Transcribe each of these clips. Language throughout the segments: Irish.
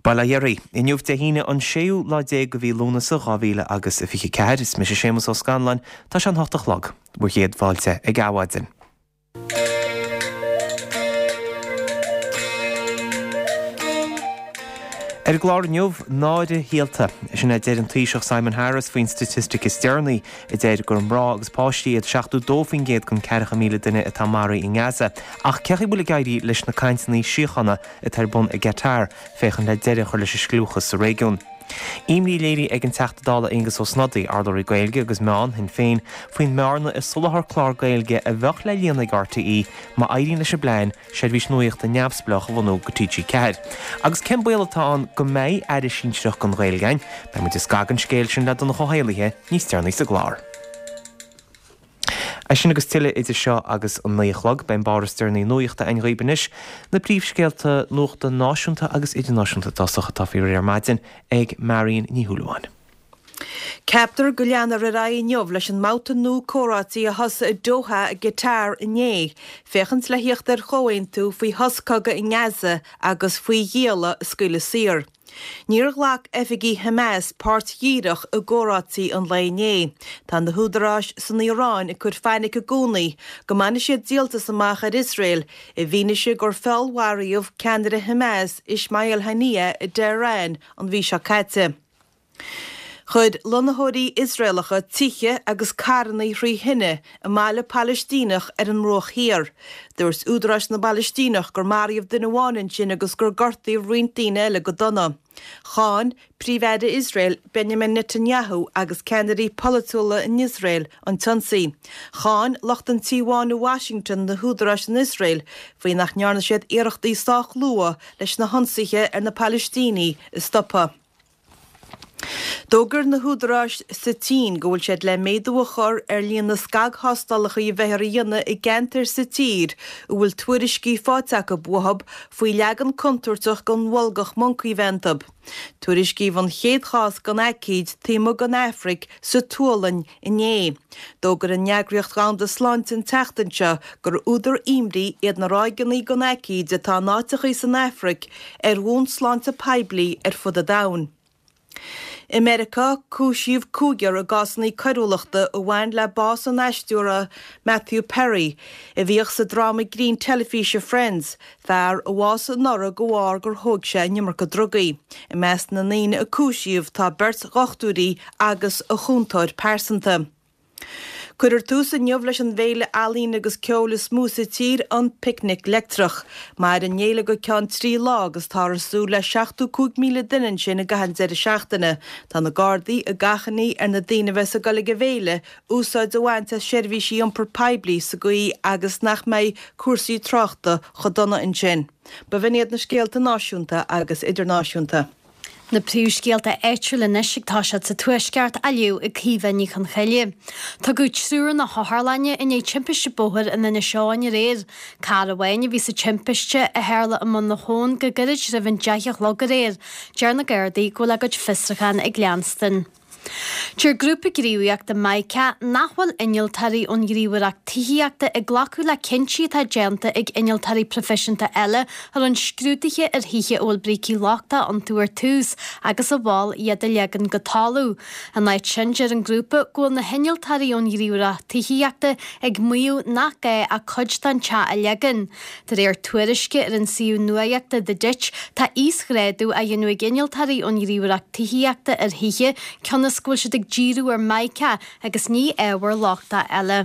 Bail ó Dhia oraibh. Inniu Dé hAoine an séú lá déag de mhí Lúnasa 2000 agus a 24. Is mise Séamus Ó Scanláin. Tá sé an hocht a chlog. Bhur gcéad fáilte ag Adhmhaidin. Ar an gclár inniu, náire shaolta. Sin a deir an Taoiseach Simon Harris faoin staitistic is deireanaí a deir gur mná agus páistí iad 72% den 40,000 duine atá maraithe i nGaza. Ach cén chaoi a bhfuil ag éirí leis na cainteanna síochána atá ar bun i gCatar féachaint le deireadh a chur leis an scliúchas sa réigiún? Imní léirithe ag an Teachta Dála Aengus Ó Snodaigh, urlabhraí Gaeilge agus Meán Shinn Féin, faoin mbearna i soláthar clár Gaeilge a bheadh le líonadh ag RTÉ má éiríonn leis an bplean seirbhís nuachta neamhspleách a bhunú do TG4. Agus cén baol atá ann go mbeidh Aire Sinsearach don Ghaeilge againn? Beidh muid ag scagadh an scéil sin le Donncha Ó hÉallaithe níos deireanaí sa gclár. É sin agus tuilleadh idir seo agus an 9 a chlog. Beidh an barr is deireanaí nuachta againn dhaoib anois. Na príomhscéalta nuachta náisiúnta agus idirnáisiúnta i dtosach atá faoi réir ar maidin ag Marion Ní Shúilleabháin. Ceaptar go leanfar ar aghaidh inniu leis an mbabhta nua comhráití a thosaigh i Doha i gCatar inné, féachaint le thíocht ar chomhaontú faoi shos cogaidh i nGaza agus faoi ghialla a scaoileadh saor. Níor ghlac oifigigh Hamas páirt dhíreach i gcomhráití an lae inné. Tá na húdaráis san Iaráin ag cur fainic i gcónaí go mbainfidh siad díoltas amach ar Iosrael i bhfianaise gur feallmharaíodh ceannaire Hamas Ismail Haniyeh i dTehran an mhí seo caite. Chuir lonnaitheoirí Iosraelacha tithe agus carranna thrí thine i mbaile Palaistíneach ar an mBruach Thiar. Dúirt údaráis na bPalaistíneach gur maraíodh duine amháin ansin agus gur gortaíodh roinnt daoine eile go dona. Cháin Príomh-Aire Iosrael Benjamin Netanyahu agus ceannairí polaitiúla in Iosrael an t-ionsaí. Cháin lucht an Tí Bháin i Washington na húdaráis in Iosrael faoi nach ndearna siad iarrachtaí sách luath leis na hionsaithe ar na Palaistínigh a stopadh. D'fhógair na húdaráis sa tSín go bhfuil siad le méadú a chur ar líon na scagthástálacha a bheifear a dhéanamh i gceantair sa tír a bhfuil tuairiscí faighte acu uathu faoi leagan contúirteach den bholgach moncaí bheith iontu. Tuairiscíodh an chéad chás den aicíd taobh amuigh den Afraic sa tSualainn inné. D'fhógair an Eagraíocht Dhomhanda Sláinte an tseachtain seo gur údar imní iad na ráigeanna den aicíd atá in áiteachaí san Afraic ar bhonn sláinte poiblí ar fud an domhain. I Meiriceá, cúisíodh cúigear i gcásanna coiriúlachta a bhain le bás an aisteora Matthew Perry, a bhíodh sa dráma grinn teilifíse Friends, fear a bhásaigh anuraidh de bharr gur thóg sé an iomarca drugaí. I measc na ndaoine a cúisíodh tá beirt dhochtúirí agus a chúntóir pearsanta. Cuirfear tús inniu leis an bhféile ealaíne agus ceoil is mó sa tír, an Picnic Leictreach. Mairfidh an fhéile go ceann 3 lá agus táthar ag súil le 75,000 duine ansin i gcaitheamh an deireadh seachtaine. Tá na Gardaí ag achainí ar na daoine a bheas ag dul ag an bhféile úsáid a bhaint as seirbhísí iompair poiblí sa gcaoi agus nach mbeidh cúrsaí tráchta chomh dona ansin. B'in iad na scéalta náisiúnta agus idirnáisiúnta. Na príomhscéalta áitiúla anois ag toiseacht sa Tuaisceart á léamh ag Caoimhe Ní Chonchoille. Tugadh triúr na hotharlainne i ndiaidh timpiste bóthair in Inis Eoghain aréir. Carr amháin a bhí sa timpiste a tharla i mBun na hAbhann go gairid roimh an 10 a chlog aréir. Deir na Gardaí go bhfuil a gcuid fiosrúchán ag leanstan. Deir grúpa gníomhaíochta Mica nach bhfuil innealtóirí ón Ghníomhaireacht Tithíochta ag glacadh le cinntí atá déanta ag innealtóirí proifisiúnta eile a rinne scrúduithe ar thithe a bhfuil brící lochtacha iontu ar tús agus a mhol iad a leagan go talamh. Ina áit sin, deir an grúpa go bhfuil na hinnealtóirí ón Ghníomhaireacht Tithíochta ag maíomh nach gá ach cuid den teach a leagan. De réir tuairisce ar an suíomh nuaíochta The Ditch, tá íosghrádú á dhéanamh ag innealtóirí ón nGníomhaireacht Tithíochta ar thithe cionn is go bhfuil siad ag díriú ar Mica agus ní ábhar lochtach eile.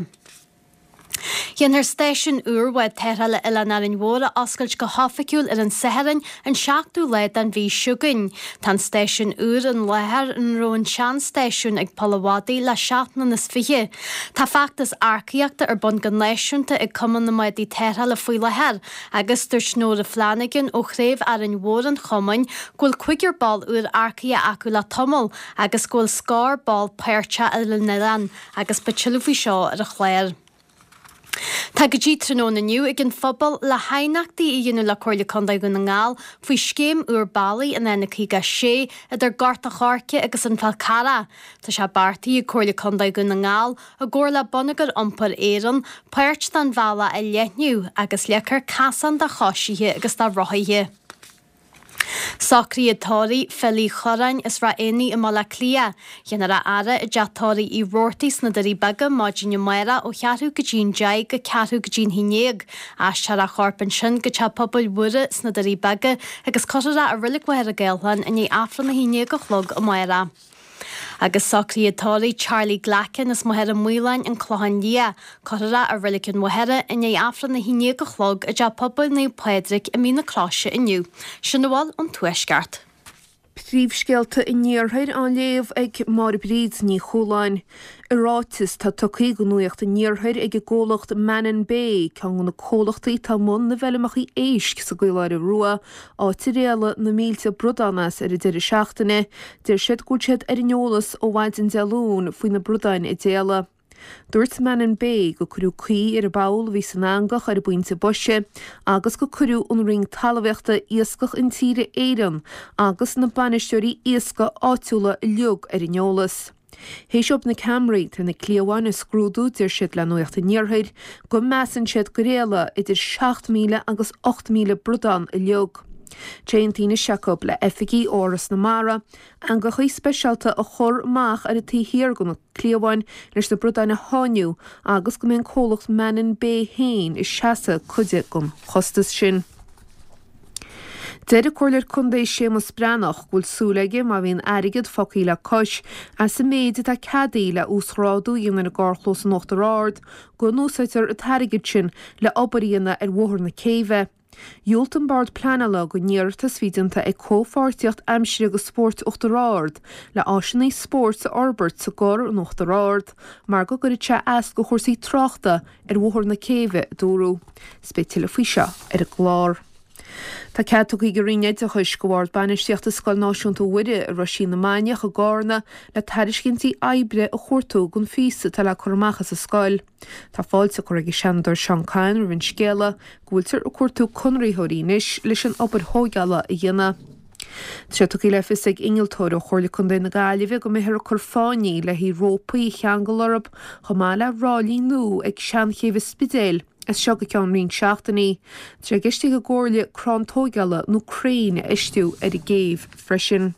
Déanfar stáisiún úr bhád tarrthála Oileán Árainn Mhór a oscailt go hoifigiúil ar an Satharn, an seachtú lá den mhí seo chugainn. Tá an stáisiún úr an láthair ina raibh an seanstáisiún ag Poll a' Mhadaidh le seacht mbliana is fiche. Tá feachtas earcaíochta ar bun go náisiúnta ag Cumann na mBádaí Tarrthála faoi láthair agus dúirt Nóra Flanagan ó Chraobh Árainn Mhór an chumainn go bhfuil cúigear ball úr earcaithe acu le tamall agus go bhfuil scór ball páirteach ar an oileán agus beidh tuilleadh faoi seo ar an chlár. Tá go dtí tráthnóna inniu ag an phobal le haighneachtaí a dhéanamh le Comhairle Contae Dhún na nGall faoi scéim úr bealaigh an N56 idir Gort a' Choirce agus an Fál Carrach. Tá sé beartaithe ag Comhairle Contae Dhún na nGall, i gcomhar le Bonneagar Iompair Éireann, páirt den bhealach a leathnú agus leagfar casán do choisithe agus do rothaithe. Socruithe tórraimh Phil Uí Chorráin as Ráth Éanaigh i mBaile Átha Cliath. Déanfar a fhaire i dteach tórraimh Uí Robhartaigh sna Doirí Beaga maidin amárach ó cheathrú go dtí an 10 go ceathrú go dtí an haon dhéag. Aistreofar a chorp ansin go Teach Pobail Mhuire sna Doirí Beaga agus cuirfear é i Reilig Mhachaire Gathlán i ndiaidh Aifreann a haon dhéag a chlog amárach. Agus socruithe tórraimh Charlie Glackin as Machaire Maoláin, An Clochán Liath. Cuirfear é i Reilig an Mhachaire i ndiaidh Aifreann a haon dhéag a chlog i dTeach Pobail Naomh Pádraig i Mín na Croise inniu. Sin a bhfuil ón Tuaisceart. Príomhscéalta an Iarthair á léamh ag Máire Bríd Ní Chualáin. I ráiteas atá tugtha do Nuacht an Iarthair ag an gcomhlacht Mannin Bay, ceann de na comhlachtaí atá i mbun na bhfeilmeacha éisc sa gCaoláire Rua, áit ar éalaigh na mílte bradán as ar an deireadh seachtaine, deir siad go bhfuil siad ar an eolas ó mhaidin Dé Luain faoi na bradáin a d'éalaigh. Dúirt Mannin Bay gur cuireadh caoi ar an bpoll a bhí san eangach ar an bpointe boise agus gur cuireadh an Roinn Talmhaíochta, Iascach Intíre Éireann agus na bainisteoirí iascaigh áitiúla uilig ar an eolas. Théis dóibh na ceamaraí atá ar na cliabháin a scrúdú deir siad le Nuacht an Iarthair go measann siad gur éalaigh idir 7,000 agus 8,000 bradán uilig. Tá aontaithe anois acu le oifigigh ó Fhoras na Mara eangachaí speisialta a chur amach ar an taobh thiar de na cliabháin leis na bradáin a sháinniú agus go mbeidh an comhlacht Mannin Bay féin ag seasamh cuid den chostas sin. Deir an Comhairleoir Contae Séamus Breathnach go bhfuil súil aige má bhíonn airgead fágtha le cois as an méid atá ceadaithe le uasghrádú a dhéanamh ar an gcarrchlós in Uachtar Ard go n-úsáidfear an t-airgead sin le obair a dhéanamh ar Bhóthar na Céibhe. Dhiúltaigh an Bord Pleanála don iarratas a bhí déanta ag Comhpháirtíocht Aimsire agus Spóirt Uachtar Ard le áiseanna spóirt a fhorbairt sa gCorr in Uachtar Ard mar go gcuirfeadh sé as do chúrsaí tráchta ar Bhóthar na Céibhe, a dúradh. Is beidh tuilleadh faoi seo ar an gclár. Tá cead tugtha ag an Roinn Oideachais do Bhord Bainistíochta Scoil Náisiúnta Mhuire i Roisín na Mainiach i gCárna le tairiscintí oibre a chuartú don phíosa atá le cur amach as an scoil. Tá fáilte curtha ag an Seanadóir Seán Kyne roimh an scéala go bhfuiltear ag cuartú conraitheoirí anois leis an obair thóigeála a dhéanamh. Tá sé tugtha le fios ag innealtóir ó Chomhairle Contae na Gaillimhe go mbeifear ag cur fáinní le haghaidh rópaí a cheangal orthu chomh maith le ráillí nua ag Seanchéibh an Spidéil as seo go ceann roinnt seachtainí. Tá sé i gceist ag an gComhairle crann tóigeála nó crainn a fheistiú ar an gcéibh freisin.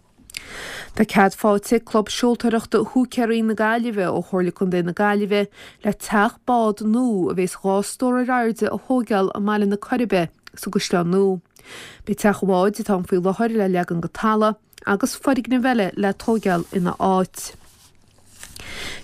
Tá cead faighte ag Club Seoltóireachta Húicéirí na Gaillimhe ó Chomhairle Contae na Gaillimhe le teach bád nua a bheas 2 stór ar airde a thóigeáil i mBaile na Coiribe sa gCaisleán Nua. Beidh teach an bháid atá ann faoi láthair le leagan go talamh agus foirgneamh eile le tóigeáil ina áit.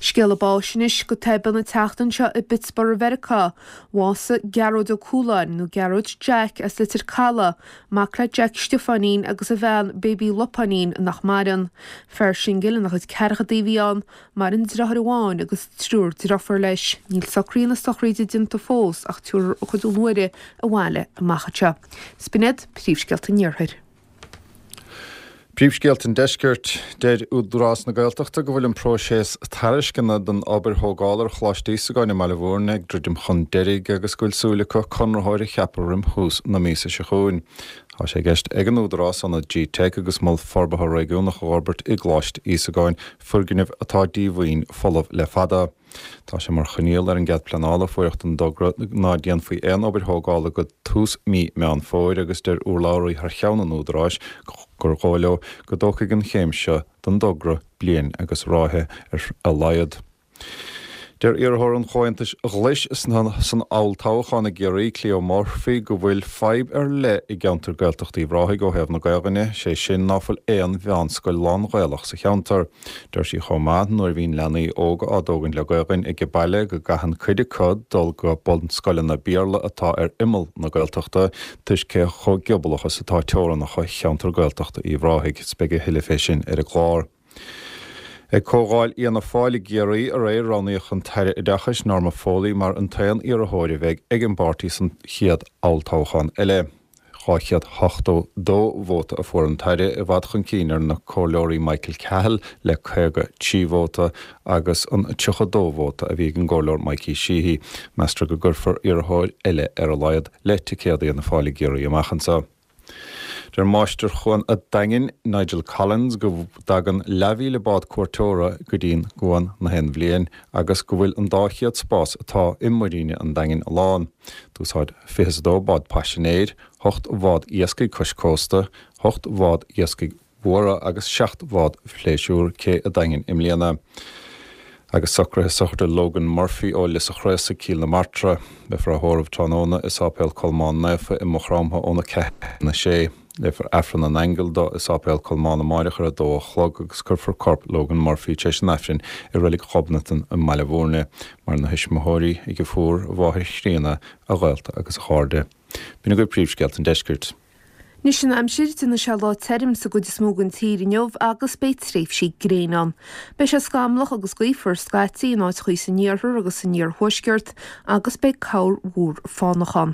Scéala báis anois go tobann an tseachtain seo i bPittsburgh Mheiriceá. Bhásaigh Gearóid Ó Cualáin, nó Gearóid Jack as Leitir Caladh, mac le Jack Stiofáinín agus a bhean Baby Lupáinín nach maireann. Fear singil ina chuid ceathrachaidí a bhí ann, maireann deartháir amháin agus triúr deirfiúr leis. Níl socruithe na sochraide déanta fós ach tabharfar a chuid luaithre abhaile amach anseo. 'S b'in iad príomhscéalta an Iarthair. Príomhscéalta an Deiscirt, Deir Údarás na Gaeltachta go bhfuil an próiseas tairisceana don obair thógála ar Choláiste Íosagáin i mBaile Bhúirne ag druidim chun deiridh agus go bhfuil súil acu conraitheoir a cheapadh roim thús na míosa seo chugainn. Tá sé i gceist ag an Údarás ionad G-Teic agus Mol Forbartha Réigiúnach a fhorbairt i gColáiste Íosagáin, foirgneamh atá díomhaoin folamh le fada. Tá sé mar choinníoll ar an gcead pleanála a fuaireadh don dtogra ná déanfaí aon obair thógála go tús mí Meán Fómhair agus deir urlabhraí thar cheann an Údaráis gur dhóigh leo go dtógfaidh an chéim seo den dtogra bliain agus ráithe ar a laghad. Deir iarrthóir an Chomhaontais Ghlais san olltoghchán i gCiarraí, Cleo Murphy, go bhfuil fadhb ar leith i gceantar Gaeltachta Uíbh Ráthaigh ó thaobh na Gaelainne, sé sin ná fuil aon mheánscoil lán-Ghaelach sa cheantar. Deir sí chomh maith, nuair a bhíonn leanaí óga á dtógaint le Gaelainn age baile, go gcaitheann cuid acu dul go bunscoileanna Béarla atá ar imeall na Gaeltachta, toisc cé chomh giobalach is atá teorannacha cheantar Gaeltachta Uíbh Ráthaigh. 'S beidh a thuilleadh fé sin ar an gclár. Ag Comhdháil Fhianna Fáil i gCiarraí aréir, roghnaíodh an tAire Oideachais, Norma Foley, mar an t-aon iarrthóir a bheidh ag an bpáirtí san chéad olltoghchán eile. 282 vóta a fuair an tAire, i bhfad chun cinn ar na comhairleoirí Michael Cahill le 53 vóta agus an 32 vóta a bhí ag an gcomhairleoir Mikey Sheehy. Meastar go gcuirfear iarrthóir eile ar a laghad le ticéad Fhianna Fáil i gCiarraí amach anseo. Deir Máistir Chuan a' Daingin, Nigel Collins, go dtagann leathmhíle bád cuairteora go dtí'n gcuan na haon bhliain agus go bhfuil an 200 spás atá i Muiríne an Daingin lán. D'úsáid 22 bád paisinéir, 8 bhád iascaigh cois cósta, 8 bhád iascaigh mhóra agus 7 bhád phléisiúir cé an Daingin i mbliana. Agus socruithe sochraide Logan Murphy ó Lios a' Chraosaigh, Cill na Martra. Beifear á thórramh tráthnóna i Sáipéal Colmán Naofa i Maigh Chromtha óna 4 go 6. Léifear Aifreann na nAingeal dó i Sáipéal Colmán amáireach ar a 2 a chlog agus cuirfear corp Logan Murphy tar éis an Aifrinn i Reilig Ghobnatan i mBaile Bhúirne. Maireann a thuismitheoirí, a dheirfiúr, a mháthair chríonna, a ghaolta agus a chairde. B'in agaibh príomhscéalta an deiscirt. Anois an aimsir, déanfaidh sé lá tirim sa gcuid is mó den tír inniu agus beidh tréimhsí gréine ann. Beidh sé scamallach agus gaofar scaití in áiteachaí san iarthar agus san iarthuaisceart agus beidh corrmhúr fánach ann.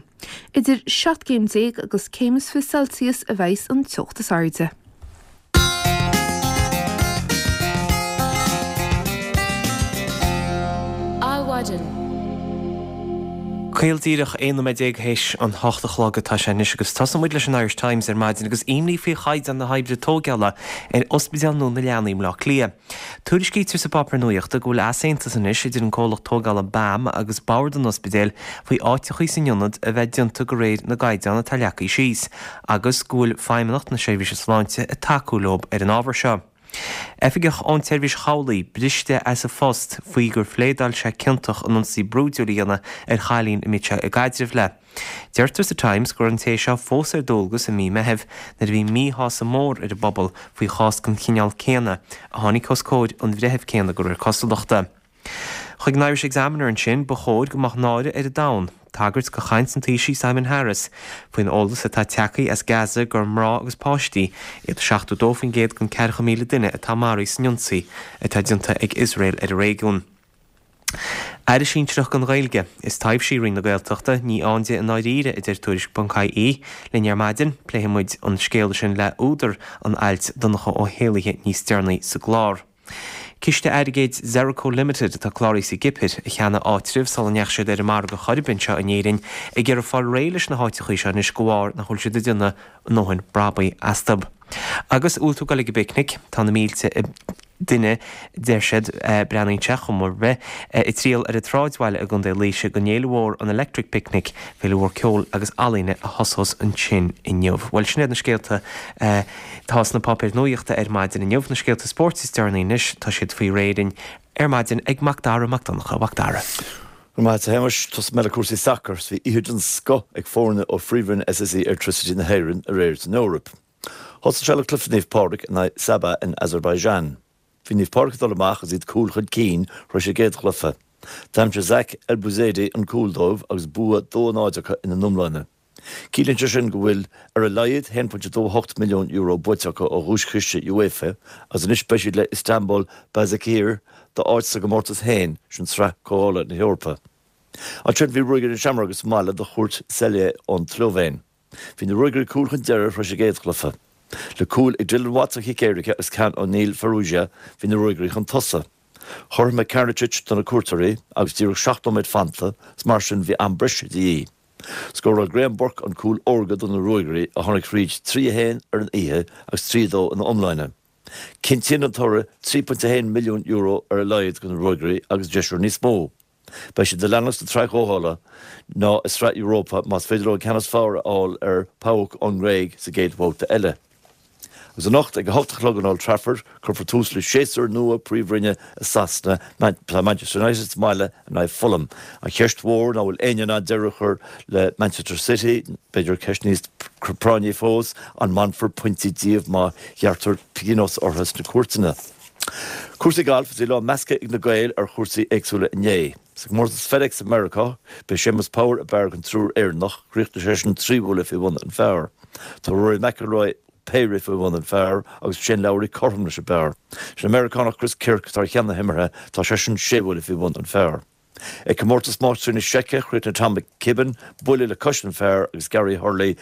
Idir 17 gcéim agus céim is 20 Celsius a bheidhs an teocht is airde. Adhmhaidin. Caol díreach 11 nóiméad théis an hocht a chlog atá sé anois agus tosóidh muid leis an Irish Times ar maidin agus imní faoi chaighdeán na hoibre tógála ar Ospidéal nua na Leanaí i mBleá Cliath. Tuairiscítear sa bpáipéar nuachta go bhfuil easaontas anois idir an comhlacht tógála BAM agus Bord an Ospidéil faoi áiteachaí san ionad a bheith déanta de réir na gcaighdeán atá leagtha síos. agus go bhfuil Feidhmeannacht na Seirbhíse Sláinte ag tacú leo ar an ábhar seo. Oifigeach ón tSeirbhís Chabhlaigh briste as a phost faoi gur phléadáil sé ciontach in ionsaí brúidiúil a dhéanamh ar chailín a mbíodh sé i gcaidreamh léi. Deirtear sa Times go raibh an té seo fós ar dualgas i mí Meithimh nuair a bhí míshásamh mór ar an bpobal faoi chás den chineál céanna a tháinig os comhair an bhreithimh céanna de réir cosúlachta. Chuig an Irish Examiner ansin, ba chóir go mbeadh náire ar an domhan, tagairt do chaint an Taoisigh Simon Harris faoin eolas atá tagtha as Gaza gur mná agus páistí iad 72% den 40,000 duine atá maraithe san ionsaí atá déanta ag Iosrael ar an réigiún. Aire Sinsearach don Ghaeilge is taibhsí Roinn na Gaeltachta, ní ann di i ndáiríre, a deir Tuairisc.ie linn ar maidin. Pléifidh muid an scéal sin le údar an ailt, Donncha Ó hÉallaithe, níos deireanaí sa gclár. Ciste airgid Zerco Limited, atá cláraithe sa gCipir, a cheannaigh áitribh sula ndeachaigh siad ar an margadh chor ar bith anseo in Éirinn, ag iarraidh fáil réidh leis na háiteachaí seo anois de bharr nach bhfuil siad ag déanamh a ndóthain brabaigh astu. Agus an bhfuil tú ag dul ag an bpicnic? Tá na mílte duine, deir siad, breathnaíonn sé, chuma ar bith, ag triall ar an tsráidbhaile i gContae Laoise don fhéile mhór an Electric Picnic, féile mhór ceoil agus ealaíne a thosós ansin inniu. Bhuel, sin iad na scéalta Tá sna páipéir nuachta ar maidin inniu na scéalta spóirt is deireanaí anois, tá siad faoi réir ar maidin ag Mac Dara Mac Donncha. A Mhac Dara. Go raibh maith agat a Shéamais. Tosóidh mé le cúrsaí sacair. Bhí oíche den scoth ag foirne ó Phríomhroinn SSE Airtricity na hÉireann aréir san Eoraip. Thosaigh sé le cluiche Naomh Pádraig in aghaidh Sabah in Azerbaijan. Bhí Naomh Pádraig ag dul amach agus iad cúl chun cinn tar éis an gcéad chluiche. D'aimsigh Zach Elbouzedi an cúl dóibh agus bua 2-0 acu ina n-iomláine. Ciallaíonn sé sin go bhfuil ar a laghad €1.28 milliún buaite acu ó dhuaischiste UEFA agus anois beidh siad le Istanbul Basaksehir d'áit sa gcomórtas féin, sin Sraith Comhdhála na hEorpa. Ansin bhí Ruagairí na Seamróige sa mbaile do chuairt Celje ón tSlóivéin. Bhí na Ruagairí cúl chun deiridh tar éis an gcéad chluiche. Le cúil ag Dylan Watts ó chic éirice agus ceann ó Neil Farrugia bhí na Ruagairí chun tosaigh. Chothromaigh Karnicic do na cuairteoirí agus díreach 7 nóiméad fanta is mar sin bhí am breise de dhíth. Scóráil Graham Burke an cúl órga do na Ruagairí a tháinig thríd 3-1 ar an oíche agus 3-2 ina iomláine. Cinntíonn an toradh €3.1 milliún ar a laghad do na Ruagairí agus deisear níos mó. Beidh siad ag leanacht sa tsraith chomhdhála ná i Sraith Europa más féidir leo an ceann is fearr a fháil ar PAOK ón nGréig sa gcéad bhabhta eile. Agus anocht ag a hocht a chlog in Old Trafford, cuirfear tús le séasúr nua Príomhroinne i Sasana. Tá Manchester United sa mbaile in aghaidh Fulham. An cheist mhór ná bhfuil éinne in ann deireadh a chur le Manchester City, b'fhéidir ceist níos práinní fós, an mbainfear pointí díobh má ghearrtar pionós orthu sna cúirteanna? Cúrsaí gailf, Bhí lá measctha ag na Gaeil ar chúrsaí éagsúla inné. Sa gcomórtas FedEx i Meiriceá, b'é Séamus Power ab fhearr den triúr Éireannach, chríochnaigh seisean trí bhuille faoi bhun an phar. Tá Rory McIlroy péire faoi bhun an phar agus Shane Lowry cothrom leis an bpar. Sin an Meiriceánach Chris Kirk atá ar cheann na himeartha, tá seisean sé bhuille faoi bhun an phar. Ag Comórtas Máistrí na Seice, chríochnaigh Tom McKibbin buille le cois an phar agus Gary Hurley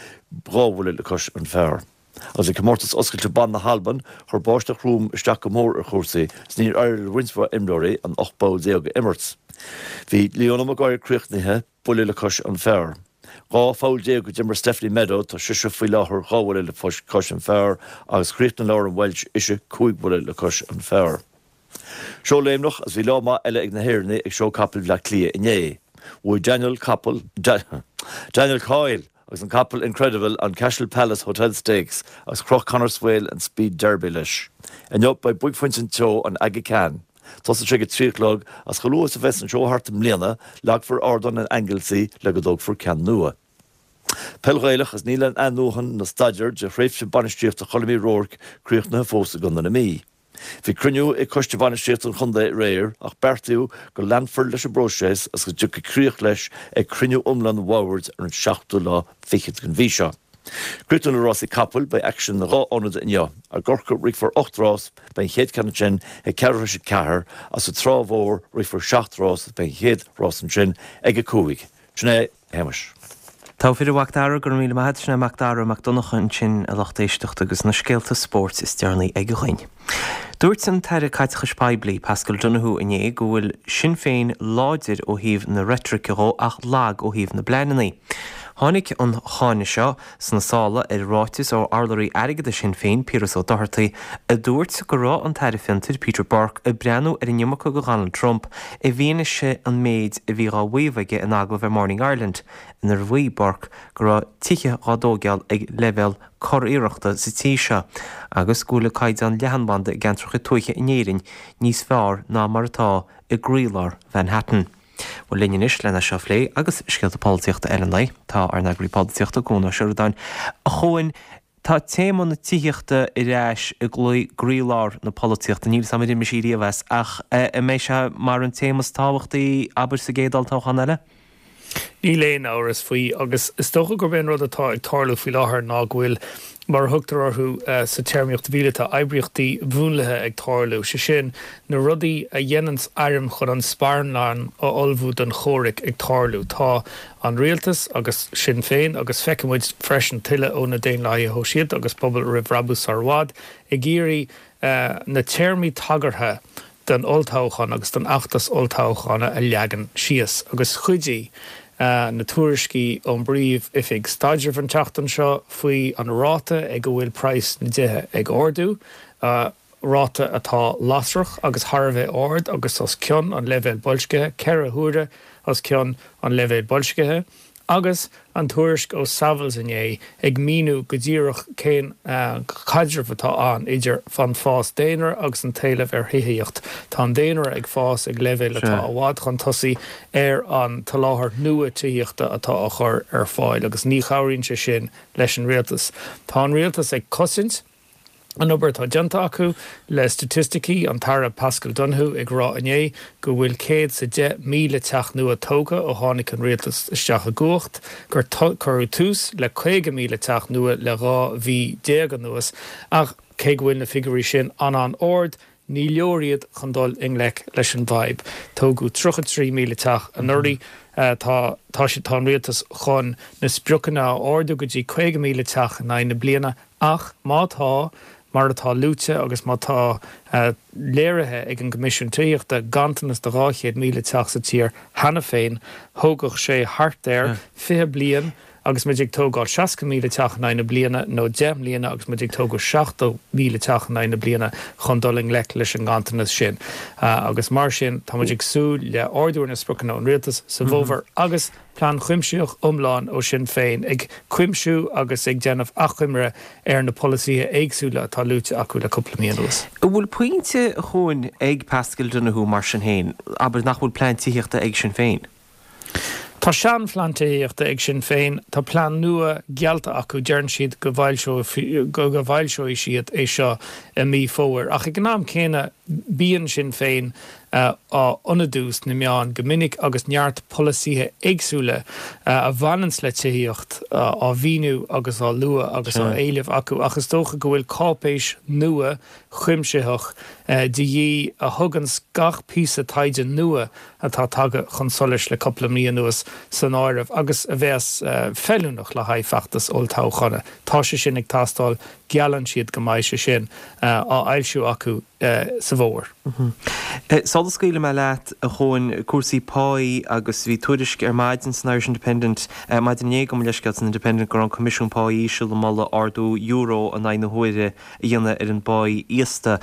dhá bhuille le cois an phar. Agus ag Comórtas Oscailte Ban na hAlban, chuir báisteach throm isteach go mór ar chúrsaí is níor éirigh le roinnt mhaith imreoirí an 18 poll a imirt. Bhí Leona Maguire críochnaithe buille le cois an phar. 12 pholl a d'imir Stephanie Meadow, tá sise faoi láthair dhá bhuille le cois an phar agus chríochnaigh Lauren Welch ise cúig bhuille le cois an phar. Seó Léimneach agus bhí lá maith eile ag na hÉireannaigh ag Seó Capall Bhleá Cliath inné. Bhuaigh Daniel Capall, Daniel Coyle! agus an capall Incredible an Cashel Palace Hotel Stakes agus chroch Conor Swail an Speed Derby leis. Inniu beidh buaicphointe an tseó, an Aga Khan. Tosóidh sé ag a 3 a chlog agus chomh luath is a bheas an seó thart i mbliana, leagfar ardán in Anglesey le go dtógfar ceann nua. Peil Ghaelach agus níl an athnuachan na staidéar de thréimhse bainistíochta Choilm Uí Ruairc críochnaithe fós i gContae na Mí. Bhí cruinniú ag Coiste Bhainistíochta an Chontae aréir ach beartaíodh go leanfar leis an bpróiseas agus go dtiocfaidh críoch leis ag cruinniú iomlán an bhoird ar an seachtú lá fichead den mhí seo. Críochnú le rásaí capaill, beidh aicsean in 2 ionad inniu. I gCorcaigh rithfear 8 rás, beidh an chéad ceann ansin ag ceathrú tar éis a ceathair agus sa Trá Mhór rithfear 7 rás agus beidh an chéad rás ansin ag 5. Sin é, a Shéamais. Togha fir a Mhac Dara, go raibh míle maith agat. Sin é Mac Dara Mac Donncha ansin, a lucht éisteachta, agus na scéalta spóirt is deireanaí aige dhuinn. Dúirt an tAire Caiteachais Poiblí, Paschal Donohoe inné go bhfuil Sinn Féin láidir ó thaobh na reitrice dhó ach lag ó thaobh na bpleananna. Tháinig an cáineadh seo sna sála ar ráiteas ó urlabhraí airgeadais Shinn Féin, Piaras Ó Dochartaigh, a dúirt go raibh an tAire Fiontair, Peter Burke, ag breathnú ar an iomarca go Dhonald Trump i bhfianaise an méid a bhí dhá mhaíomh aige in agallamh ar Morning Ireland inar mhaígh Burke go raibh tithe dhá dtóigeáil ag leibhéal curiarrachta sa tír seo agus go bhfuil an caighdeán leathanbhanda i gceantracha tuaithe in Éirinn níos fearr ná mar atá i gcroílár Mhanhattan. Bhuel, linn anois lena seo a phlé agus scéalta polaitíochta eile an lae, tá ár n-eagraí polaitíochta, Cuan Ó Seireadáin. A Chuain, tá téama na tithíochta ar ais i gcroílár na polaitíochta. Níl 'fhios a'm ar imigh sí riamh as, ach an mbeidh sé mar an téama is tábhachtaí, abair, sa gcéad olltoghchán eile? Níl aon amhras faoi, agus is dócha gurb é an rud atá ag tarlú faoi láthair ná go bhfuil, mar a thugtar orthu sa téarmaíocht mhíleata, oibríochtaí mhúnlaithe ag tarlú, sé sin, na rudaí a dhéananns airm chun an sparán a ullmhú don chomhrac ag tarlú. Tá an rialtas agus Sinn Féin, agus feicfidh muid freisin tuilleadh ó na Daonlathaithe Shóisialta agus Pobal Roimh Bhrabús sar i bhfad, ag iarraidh na téarmaí tagartha don olltoghchán agus don fheachtas olltoghchána a leagan síos agus chuidigh na tuairiscí ón bPríomh-Oifig Staidrimh an tseachtain seo faoi an ráta ag a bhfuil praghas na dtithe ag ardú, ráta atá lasrach agus thar a bheith ard agus os cionn an leibhéil boilscithe, 4 huaire os cionn an leibhéil boilscithe. Agus an tuairisc ó Savills inné ag míniú go díreach cén caidreamh atá ann idir an fás daonra agus an t-éileamh ar thithíocht. Tá an daonra ag fás ag leibhéal atá i bhfad chun tosaigh ar an tsoláthar nua tithíochta atá á chur ar fáil agus ní chabhraíonn sé sin leis an rialtas. Tá an rialtas ag cosaint. an obair atá déanta acu le staitisticí, an tAire Paschal Donohoe ag rá inné go bhfuil 110,000 teach nua tógtha ó tháinig an rialtas isteach i gcumhacht, gur cuireadh tús le 50,000 teach nua le 12 mhí anuas ach cé go bhfuil na figiúirí sin an-an-ard, ní leor iad chun dul i ngleic leis an bhfadhb. Tógadh 33,000 teach anuraidh. Tá tá tá an rialtas chun na spriocanna a ardú go dtí 50,000 teach in aghaidh na bliana Ach má tá, mar atá luaite agus má tá léirithe ag an gCoimisiún Tithíochta, ganntanas de 200,000 teach sa tír cheana féin, thógfadh sé thart ar 20 bliain agus muid ag tógáil 60,000 teach in aghaidh na bliana nó 10 mbliana agus muid ag tógáil 70,000 teach in aghaidh na bliana chun dul i ngleic leis an nganntanas sin. Agus mar sin, tá muid ag súil le ardú ar na spriocanna ón rialtas sa bhfómhar agus Plean cuimsitheach iomlán ó Sinn Féin, ag cuimsiú agus ag déanamh achoimre ar na polasaithe éagsúla atá luaite acu le cúpla mí anuas. An bhfuil pointe, a Chuain, ag Paschal Donohoe mar sin féin, abair, nach bhfuil plean tithíochta ag Sinn Féin? Tá seanphlean tithíochta ag Sinn Féin, tá plean nua geallta acu, deireann siad go bhfoilseoidh siad é seo i mí Fómhair. Ach ag an am céanna bíonn Sinn Féin á ionadú sna meáin go minic agus neart polasaithe éagsúla a bhaineanns le tithíocht á mhíniú agus á lua agus á éileamh acu ach is dócha go bhfuil cáipéis nua chuimsitheach de dhíth a thuganns gach píosa taighde nua atá tagtha chun solais le cúpla mí anuas san áireamh agus a bheas feiliúnach le haghaidh feachtas olltoghchána. Tá sé sin ag teastáil, geallann siad go mbeidh sé sin á fhoilsiú acu sa bhfómhar. Sula scaoilfidh mé leat, a Chuain, cúrsaí páí agus bhí tuairisc ar maidin san Irish Independent, maidin inné gabh mo leithscéal, san Independent go raibh an Coimisiún Pá Íseal ag moladh ardú euro in aghaidh na huaire a dhéanamh ar an bpáí íosta.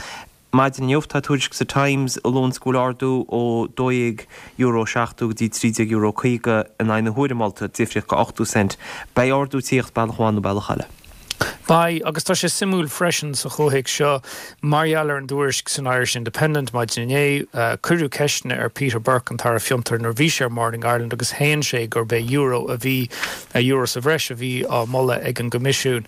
Maidin inniu tá tuairisc sa Times a luanns go bhfuil ardú ó €12.70 go dtí €13.50 in aghaidh na huaire molta, difríocht de 80 cent. Beidh ardú ag tíocht bealach amháin nó bealach eile. Beidh, agus tá sé suimiúil freisin sa chomhthéacs seo, mar gheall ar an dtuairisc san Irish Independent maidin inné, cuireadh ceisteanna ar Peter Burke, an tAire Fiontar, nuair a bhí sé ar Morning Ireland agus shéan sé gurb é euro a bhí, euro sa bhreis a bhí á mholadh ag an gCoimisiún.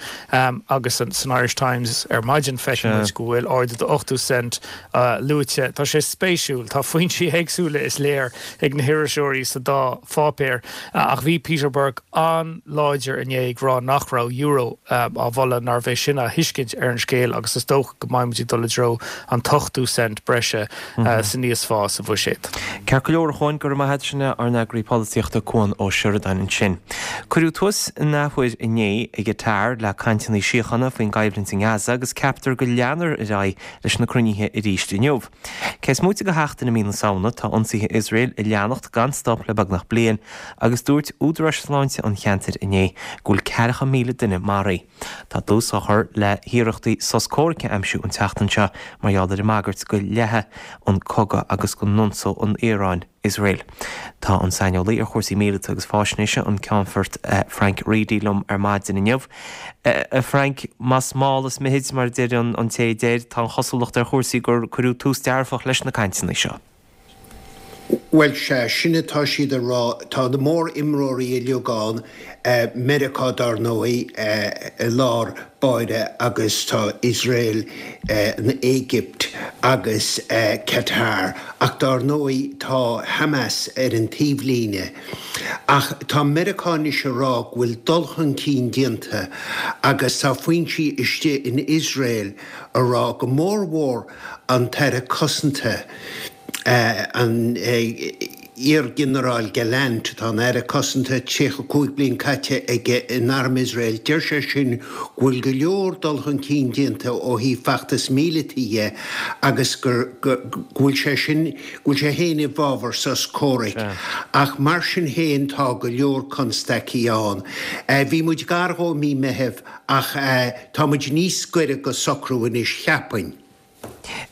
Agus san Irish Times ar maidin feiceann muid go bhfuil ardú de 80 cent luaite. Tá sé spéisiúil, tá foinsí éagsúla is léir ag na hiriseoirí sa dá pháipéar ach bhí Peter Burke an-láidir inné ag rá nach raibh euro á mholadh, nárbh é sin a thuiscint ar an scéal agus is dócha go mbeidh muid ag dul i dtreo an t-ochtú cent breise san íosphá sa bhuiséad. Ceart go leor, a Chuain, go raibh maith agat. Sin é ár n-eagraí polaitíochta Cuan Ó Seireadáin ansin. Cuireadh tús an athuair inné i gCatar le cainteanna síochána faoin gcoimhlint i nGaza agus ceaptar go leanfar ar aghaidh leis na cruinnithe arís inniu. Cé is móite de sheachtain i mí na Samhna, tá ionsaithe Iosrael ag leanacht gan stop le beagnach bliain agus dúirt údaráis sláinte an cheantair inné go bhfuil 40,000 duine maraithe. Tá dlús á chur le hiarrachtaí sos comhraic a aimsiú an tseachtain seo mar gheall ar an mbagairt go leathfaidh an cogadh agus go n-ionsódh an Iaráin Iosrael. Tá an saineolaí ar chúrsaí míleata agus faisnéise, an Ceannfort Frank Reidy liom ar maidin inniu. A Frank, más mall is mithid, mar a deir an té a deir, tá an chosúlacht ar chúrsaí gur cuireadh tús dearfach leis na cainteanna seo. Bhuel, sea, sin atá siad a rá. Tá na mór-imreoirí uilig ann, Meiriceá dár ndóigh i lár báire agus tá Iosrael, an Éigipt agus Qatar ach dár ndóigh tá Hamas ar an taobhlíne. Ach tá Meiriceá anois a rá go bhfuil dul chun cinn déanta agus tá foinsí istigh in Iosrael a rá go mór mhór an tAire Cosanta, An t-iarghinearál Gallant, atá ina Aire Cosanta, 35 bliain caite aige in arm Iosrael, deir sé sin go bhfuil go leor dul chun cinn déanta ó thaobh feachtas míleata dhe agus go bhfuil sé sin, go bhfuil sé féin i bhfabhar sos comhraic. Ach mar sin féin tá go leor constaicí ann. Bhí muid gar dhó i mí Meithimh ach tá muid níos gaire go socrú anois, cheapfainn.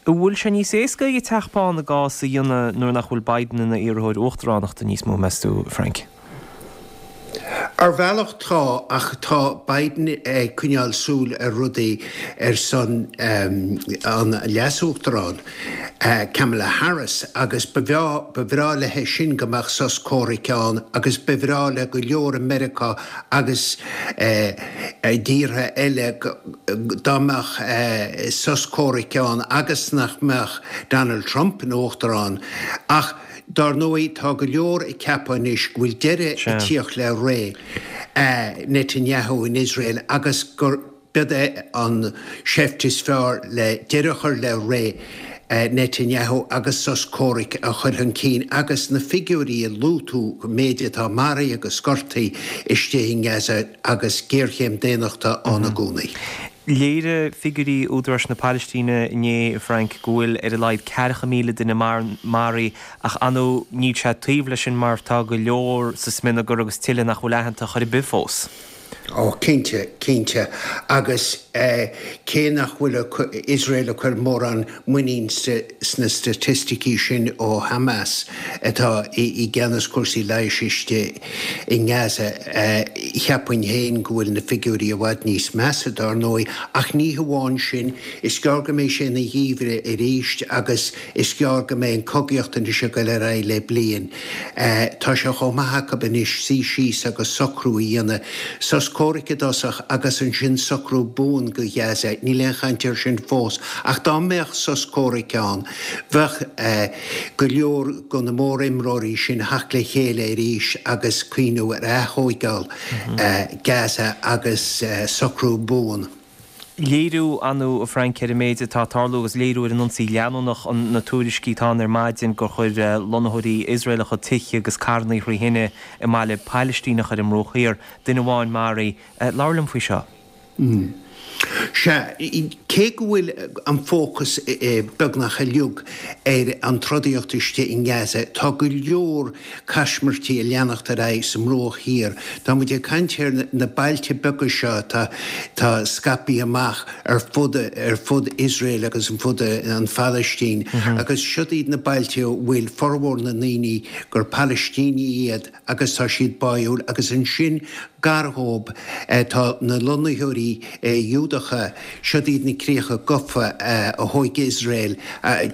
An bhfuil sé níos éasca ag an Teach Bán a gcás a dhéanamh nuair nach bhfuil Biden ina iarrthóir uachtaránachta níos mó, meas tú, Frank? Ar bhealach tá, ach tá Biden ag coinneáil súil ar rudaí ar son an leas-uachtaráin, Kamala Harris, agus ba ba bhreá léi sin go mbeadh sos comhraic ann agus ba bhreá le go leor i Meiriceá agus i dtíortha eile dá mbeadh sos comhraic ann agus nach mbeadh Donald Trump ina uachtarán. Ach dár ndóigh tá go leor ag ceapadh anois go bhfuil deireadh ag tíocht le ré Netanyahu in Iosrael agus gur B'iod é an seift is fearr le deireadh a chur le ré Netanyahu agus sos comhraic a chur chun cinn agus na figiúirí a luaigh tú, an méid atá maraithe agus gortaithe istigh i nGaza agus géarchéim daonnachta ann i gcónaí. Léirigh figiúirí Údaráis na Palaistíne inné, a Frank, go bhfuil ar a laghad 40,000 duine maraithe ach ar ndóigh níl sé taobh leis sin mar tá go leor sa smionagar agus tuilleadh nach bhfuil aitheanta chor ar bith fós. Ó, cinnte, cinnte. Agus cé nach bhfuil Iosrael ag cur mórán muinín sna staitisticí sin ó Hamas, atá i gceannas cúrsaí leighis istigh i nGaza, cheapfainn féin go bhfuil na figiúirí i bhfad níos measa, dár ndóigh. Ach ní hamháin sin, is gearr go mbeidh sé ina gheimhreadh arís agus Is gearr go mbeidh an cogaíocht anois ag dul ar aghaidh le bliain. Tá sé chomh maith acu anois suí síos agus socrú a dhéanamh. Sos comhraic i dtosach agus ansin socrú buan go Gaza. Níl aon chaint air sin fós. Ach dá mbeadh sos comhraic ann, bheadh go leor de na mór-imreoirí sin theacht le chéile arís agus cuimhneamh ar ath-thóigeáil Gaza agus socrú buan. Léiriú, ar ndóigh, a Frank, ar an méid atá ag tarlú agus léiriú ar an ionsaí leanúnach na tuairiscí atá ann ar maidin gur chuir lonnaitheoirí Iosraelacha tithe agus carrannaí thrí thine i mbaile Pailistíneach ar an mBruach Thiar, duine amháin maraithe. Labhair liom faoi seo. Sea, cé go bhfuil an fócas beagnach uilig ar an trodaíocht istigh i nGaza, tá go leor caismirtí ag leanacht ar aghaidh sa mBruach Thiar. Tá muid ag caint ar na bailte beaga seo atá scaipthe amach ar fud ar fud Iosrael agus ar fud an Phalaistín agus siod iad na bailte a bhfuil formhór na ndaoine gur Palaistínigh iad agus tá siad báúil agus ansin gar dhóib tá na lonnaitheoirí Iúdacha, siod iad na críocha gafa a thóig Iosrael,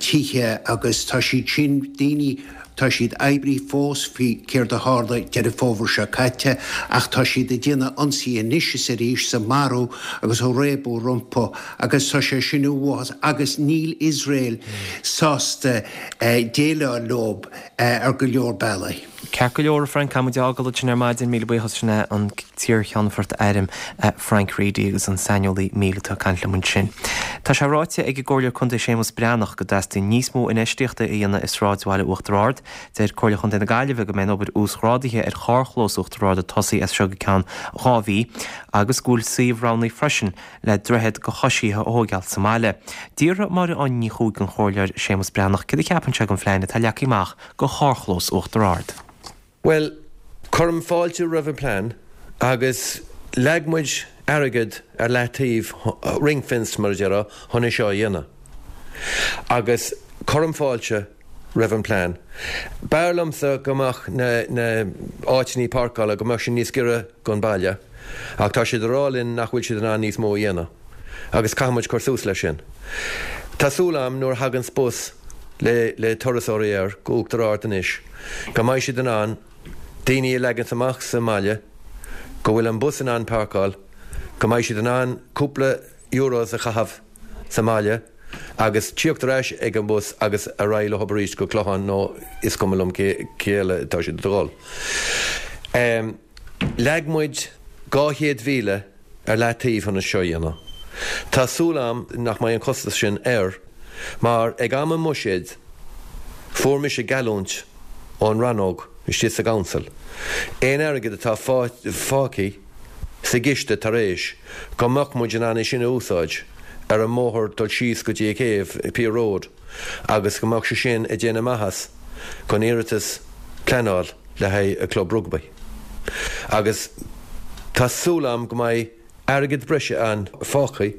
tithe agus tá siad sin, daoine, tá siad oibrithe fós faoi céard a tharla Deireadh Fómhair seo caite ach tá siad ag déanamh ionsaí anois is arís is ag marú agus ag réabadh rompu agus tá sé sin uafásach agus níl Iosrael sásta déileáil leob ar go leor bealaí. Ceart go leor, a Frank, caithfidh muid é a fhágáil ansin ar maidin. Míle buíochas, sin é an t-iarCheannfort Airm Frank Reidy agus an saineolaí míleata ag caint liom ansin. Tá sé ráite ag an gComhairleoir Contae Séamus Breathnach go dteastaíonn níos mó infheistíochta a dhéanamh i sráidbhaile Uachtar Ard. Deir Comhairle Chontae na Gaillimhe go mbeidh an obair uasghrádaithe ar charrchlós Uachtar Ard ag tosaí as seo go ceann 2 mhí agus go bhfuil suíomh roghnaithe freisin le droichead do choisithe a thóigeáil sa mbaile. D'fhiafraigh Máire Áine Ní Chuaig den Chomhairleoir Séamus Breathnach céard a cheapann sé den phlean atá leagtha amach do charrchlós Uachtar Ard. Bhuel, cuirim fáilte roimh an plean agus leag muid airgead ar leataobh, ring-fenced mar a déarfá, chun é seo a dhéanamh. Agus cuirim fáilte roimh an plean. B'fhearr liomsa go mbeadh na na áiteanna páirceála, go mbeadh sé níos giorra don baile ach tá siad ag rá linn nach bhfuil siad in ann níos mó a dhéanamh agus caithfidh muid cur suas leis sin. Tá súil agam nuair a thaganns bus le le turasóirí air go Uachtar Ard anois go mbeidh siad in ann daoine a leagans amach sa mbaile, go bhfuil an bus in ann páirceáil, go mbeidh siad in ann cúpla euros a chaitheamh sa mbaile agus tíocht ar ais ag an bus agus ar aghaidh leo arís go Clochán nó is cuma liom cé eile atá siad ag dul. Leag muid 200,000 ar leataobh chun é seo a dhéanamh. Tá súil agam nach mbeidh an costas sin air mar ag am an mbuiséid fuair mise geallúint ón rannóg istigh sa gcouncil aon airgead atá fágtha sa gciste tar éis go mbeadh muid in ann é sin a úsáid ar an mbóthar dul síos go dtí an céibh, Pier Road, agus go mbeadh sé sin ag déanamh maitheas don iarratas pleanáil le haghaidh an club rugbaí. Agus tá súil agam go mbeidh airgead breise ann fágtha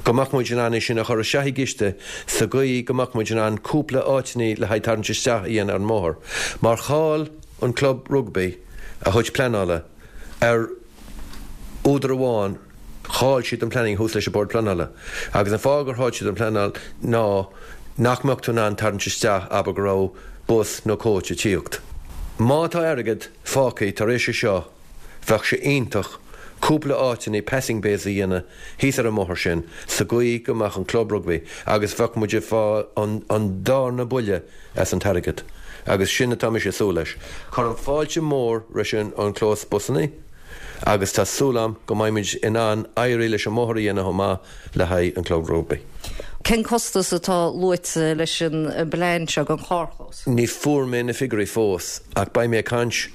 go mbeadh muid in ann é sin a chur isteach i gciste sa gcaoi go mbeadh muid in ann cúpla áiteanna le haghaidh tarraingt isteach a dhéanamh ar an mbóthar mar chaill an club rugbaí a chuid pleanála ar údar amháin, chaill siad an planning thuas leis an Bord Pleanála. Agus an fáth gur chaill siad an pleanáil ná nach mbeadh tú in ann tarraingt isteach, abair go raibh bus nó coach ag tíocht. Má tá airgead fágtha tar éis é seo, bheadh sé iontach cúpla áiteanna passing bays a dhéanamh thíos ar an mbóthar sin sa gcaoi go mbeadh an club rugbaí agus bheadh muid ag fáil an darna buille as an t-airgead agus sin atá mise ag súil leis. Cuirim fáilte mór leis an clós busanna agus tá súil agam go mbeidh muid in ann éirí leis an mbóthar a dhéanamh chomh maith le haghaidh an club rugbaí. Cén costas atá luaite leis an bplean seo don charrchlós? Ní fuair mé na figiúirí fós ach beidh mé ag caint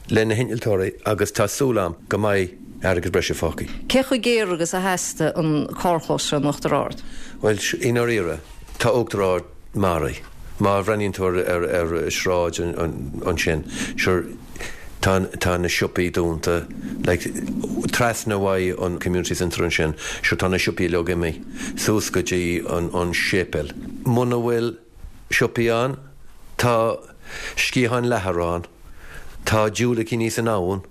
le na hinnealtóirí agus tá súil agam go mbeidh airgead breise fágtha. Cé chomh géar agus a theastaigh an carrchlós seo in Uachtar Ard? Bhuel, i ndáiríre, tá Uachtar Ard maraithe. Má bhreathnaíonn tú ar ar sráid ansin, sure, tá tá na siopaí dúnta, like, trasna uaidh an community centre ansin, sure, tá na siopaí uilig imithe suas go dtí an an séipéal. Muna bhfuil siopaí ann, tá sciatháin leathair ann. Tá diúilicíní san abhainn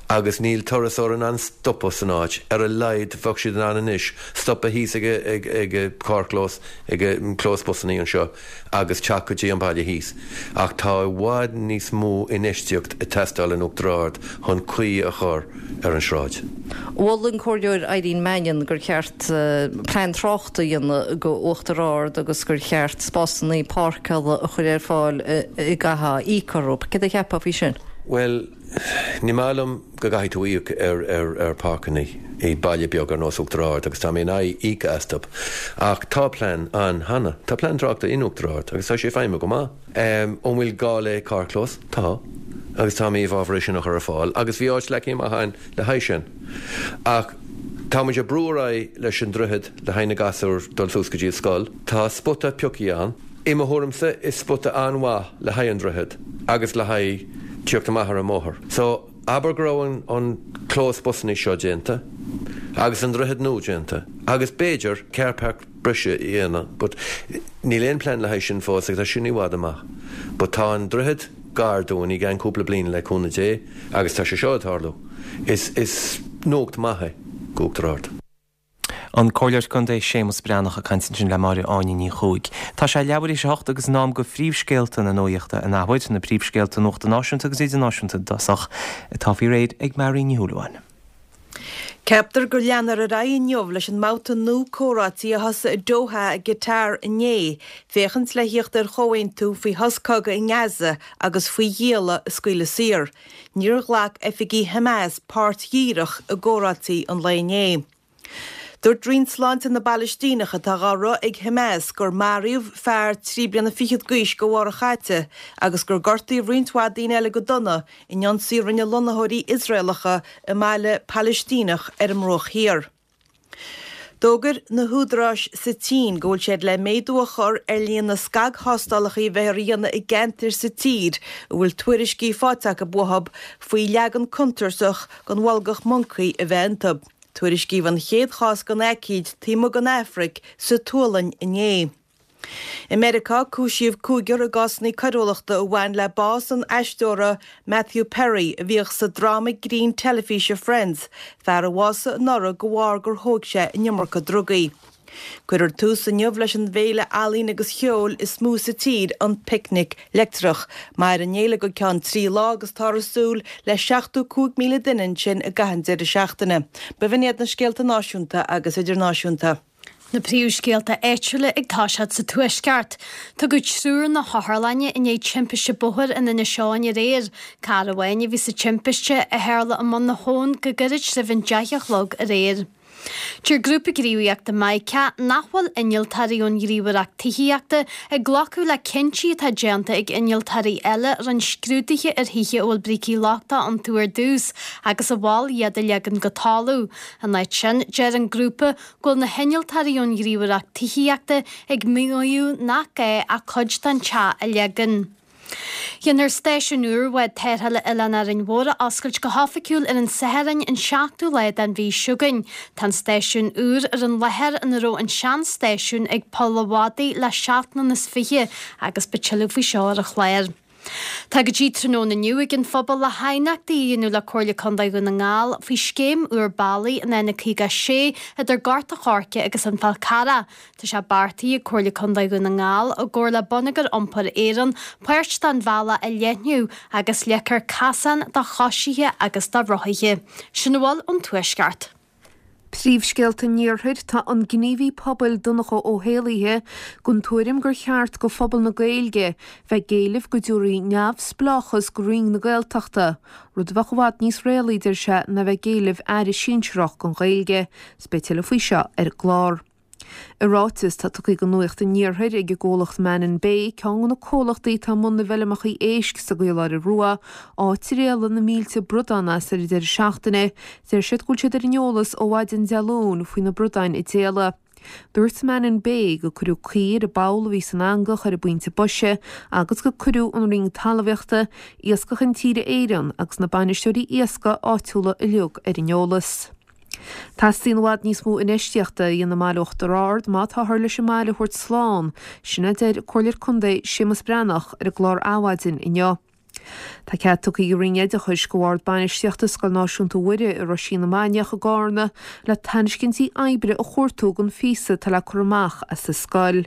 agus níl turasóir in ann stopadh san áit, ar a laghad bheadh siad in ann anois stopadh thíos ag ag an carrchlós, ag an clós busannaí anseo agus teacht go dtí an baile thíos. Ach tá i bhfad níos mó infheistíocht ag teastáil in Uachtar Ard chun caoi a chur ar an sráid. Mhol an Comhairleoir Eileen Mannion gur cheart plean tráchta a dhéanamh go Uachtar Ard agus gur cheart spásanna páirceála a chur ar fáil a gcaithfeá íoc orthu. Céard a cheapfá faoi sin? Bhuel, ní maith liom go gcaithfidh tú íoc ar ar páirceanna i baile beag ar nós Uachtar Ard agus tá mé in aghaidh íoc astu. Ach tá plean ann cheana. Tá plean tráchta in Uachtar Ard agus tá sé ag feidhmiú go maith. An bhfuil gá le carrchlós? Tá. Agus tá mé i bhfabhar é sin a chur ar fáil agus bhí áit leagtha amach againn le haghaidh sin. Ach. Tá muid ag brú ar aghaidh leis an droichead le haghaidh na gasúr dul suas go dtí an scoil. Tá spota pioctha ann. I mo thuairimse is spota an-mhaith le haghaidh an droichead agus le haghaidh tíocht amach ar an mbóthar. So, abair go raibh an clós busannaí seo déanta agus an droichead nua déanta agus b'fhéidir car park breise a dhéanamh but níl aon plean le haghaidh sin fós agus tá sin i bhfad amach. But tá an droichead gar dúinn i gceann cúpla bliain le cúnamh Dé agus tá sé seo ag tarlú. Is is nuacht maith é d'Uachtar Ard. An Comhairleoir Contae Séamus Breathnach ag caint ansin le Máire Áine Ní Chuaig. Tá sé leathuair théis a hocht agus in am do phríomhscéalta na nuachta an athuair, na príomhscéalta nuachta náisiúnta agus idirnáisiúnta i dtosach, atá faoi réir ag Máirín Ní Shúilleabháin. Ceaptar go leanfar ar aghaidh inniu leis an mbabhta nua comhráití a thosaigh i Doha i gCatar inné, féachaint le thíocht ar chomhaontú faoi shos cogaidh i nGaza agus faoi ghialla a scaoileadh saor. Níor ghlac oifigigh Hamas páirt dhíreach i gcomhráití an lae inné. Dúirt Roinn Sláinte na bPalaistíneach atá dhá rith ag Hamas gur maraíodh fear 23 bliana d'aois go Mhárach chaite agus gur gortaíodh roinnt mhaith daoine eile go dona in ionsaí a rinne lonnaitheoirí Iosraelacha i mbaile Palaistíneach ar an mBruach Thiar. D'fhógair na húdaráis sa tSín go bhfuil siad le méadú a chur ar líon na scagthástálacha a bheifear a dhéanamh i gceantair sa tír a bhfuil tuairiscí faighte acu uathu faoi leagan contúirteach den bholgach moncaí a bheith iontu. Tuairiscíodh an chéad chás den aicíd taobh amuigh den Afraic sa tSualainn inné. I Meiriceá, cúisíodh cúigear i gcásanna coiriúlachta a bhain le bás an aisteora Matthew Perry a bhíodh sa dráma grinn teilifíse Friends, fear a bhásaigh anuraidh de bharr gur thóg sé an iomarca drugaí. Cuirfear tús inniu leis an bhféile ealaíon agus cheoil is mó sa tír, an Picnic Leictreach. Mairfidh an fhéile go ceann 3 lá agus táthar ag súil le 75,000 duine ansin i gcaitheamh an deireadh seachtaine. B'in iad na scéalta náisiúnta agus idirnáisiúnta. Na príomhscéalta áitiúla ag toiseacht sa Tuaisceart. Tugadh triúr na hotharlainne i ndiaidh timpiste bóthair in Inis Eoghain aréir. Carr amháin a bhí sa timpiste, a tharla i mBun na hAbhann go gairid roimh an 10 a chlog aréir. Deir grúpa gníomhaíochta Maidhc nach bhfuil innealtóirí ón Ghníomhaireacht Tithíochta ag glacadh le cinntí atá déanta ag innealtóirí eile a rinne scrúduithe ar thithe a bhfuil brící lochtacha iontu ar dtús agus a mhol iad a leagan go talamh. In áit sin, deir an grúpa go bhfuil na hinnealtóirí ón Ghníomhaireacht Tithíochta ag maíomh nach gá ach cuid den teach a leagan. Déanfar stáisiún úr bhád tarrthála Oileán Árainn Mhór a oscailt go hoifigiúil ar an Satharn an 7ú lá den mhí seo chugainn. Tá an stáisiún úr ar an láthair ina raibh an sean-stáisiún ag Poll a' Mhadaidh le seacht mbliana is fiche agus beidh tuilleadh faoi seo ar an chlár. Tá go dtí tráthnóna inniu ag an phobal le haighneachtaí a dhéanamh le Comhairle Contae Dhún na nGall faoi scéim úr bealaigh an N56 idir Gort a' Choirce agus an Fál Carrach. Tá sé beartaithe ag Comhairle Contae Dhún na nGall, i gcomhar le Bonneagar Iompair Éireann, páirt den bhealach a leathnú agus leagfar casán do choisithe agus do rothaithe. Sin a bhfuil ón Tuaisceart. Príomhscéalta an Iarthair, Tá an gníomhaí pobail Donncha Ó hÉallaithe den tuairim gur cheart go phobal na Gaeilge bheith ag éileamh go dtabharfaí neamhspleáchas go Roinn na Gaeltachta, rud a bheadh i bhfad níos réalaí, deir sé, ná bheith ag éileamh aire sinsearach don Ghaeilge. 'S beidh tuilleadh faoi seo ar an gclár. I ráiteas atá tugtha do Nuacht an Iarthair ag an gcomhlacht Mannin Bay, ceann de na comhlachtaí atá i mbun na bhfeilmeacha éisc sa gCaoláire Rua, áit ar éalaigh na mílte bradán as ar an deireadh seachtaine, deir siad go bhfuil siad ar an eolas ó mhaidin Dé Luain faoi na bradáin a d'éalaigh. Dúirt Mannin Bay gur cuireadh caoi ar an bpoll a bhí san eangach ar an bpointe boise agus gur cuireadh an Roinn Talmhaíochta, Iascach Intíre Éireann agus na bainisteoirí iascaigh áitiúla uilig ar an eolas. Teastaíonn i bhfad níos mó infheistíochta a dhéanamh i mbaile Uachtar Ard má táthar leis an mbaile a thabhairt slán, sin a deir Comhairleoir Contae Séamus Breathnach ar an gclár Adhmhaidin inniu. Tá cead tugtha ag an Roinn Oideachais go Bhord Bainistíochta Scoil Náisiúnta Mhuire i Roisín na Mainiach i gCárna le tairiscintí oibre a chuartú don phíosa atá le cur amach as an scoil.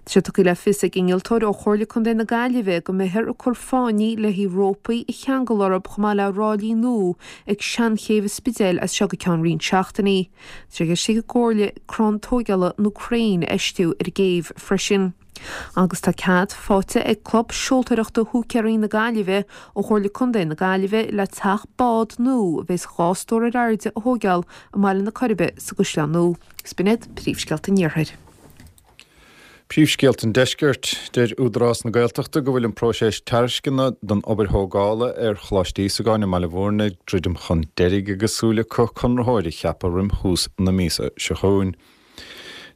Tá sé tugtha le fios ag innealtóir ó Chomhairle Contae na Gaillimhe go mbeifear ag cur fáinní le haghaidh rópaí a cheangal orthu chomh maith le ráillí nua ag Seanchéibh an Spidéil as seo go ceann roinnt seachtainí. Tá sé i gceist ag an gComhairle crann tóigeála nó crainn a fheistiú ar an gcéibh freisin. Agus tá cead faighte ag Club Seoltóireachta Húicéirí na Gaillimhe ó Chomhairle Contae na Gaillimhe le teach bád nua a bheas 2 stór ar airde a thóigeáil i mBaile na Coiribe sa gCaisleán Nua. Is b'in iad príomhscéalta an Iarthair. Príomhscéalta an Deiscirt, Deir Údarás na Gaeltachta go bhfuil an próiseas tairisceana don obair thógála ar Choláiste Íosagáin i mBaile Bhúirne ag druidim chun deiridh agus súil acu conraitheoir a cheapadh roim thús na míosa seo chugainn.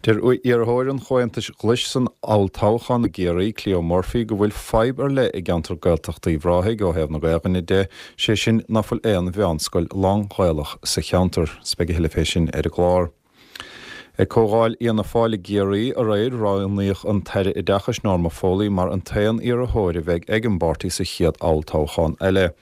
Deir iarrthóir an Chomhaontais Ghlais san olltoghchán i gCiarraí, Cleo Murphy, go bhfuil fadhb ar leith i gceantar Gaeltachta Uíbh Ráthaigh ó thaobh na Gaelainne de, sé sin ná fuil aon mheánscoil lán-Ghaelach sa cheantar. 'S beidh a thuilleadh fé sin ar an gclár. Ag Comhdháil Fhianna Fáil i gCiarraí aréir, roghnaíodh an tAire Oideachais Norma Foley mar an t-aon iarrthóir a bheidh ag an bpáirtí sa chéad olltoghchán eile.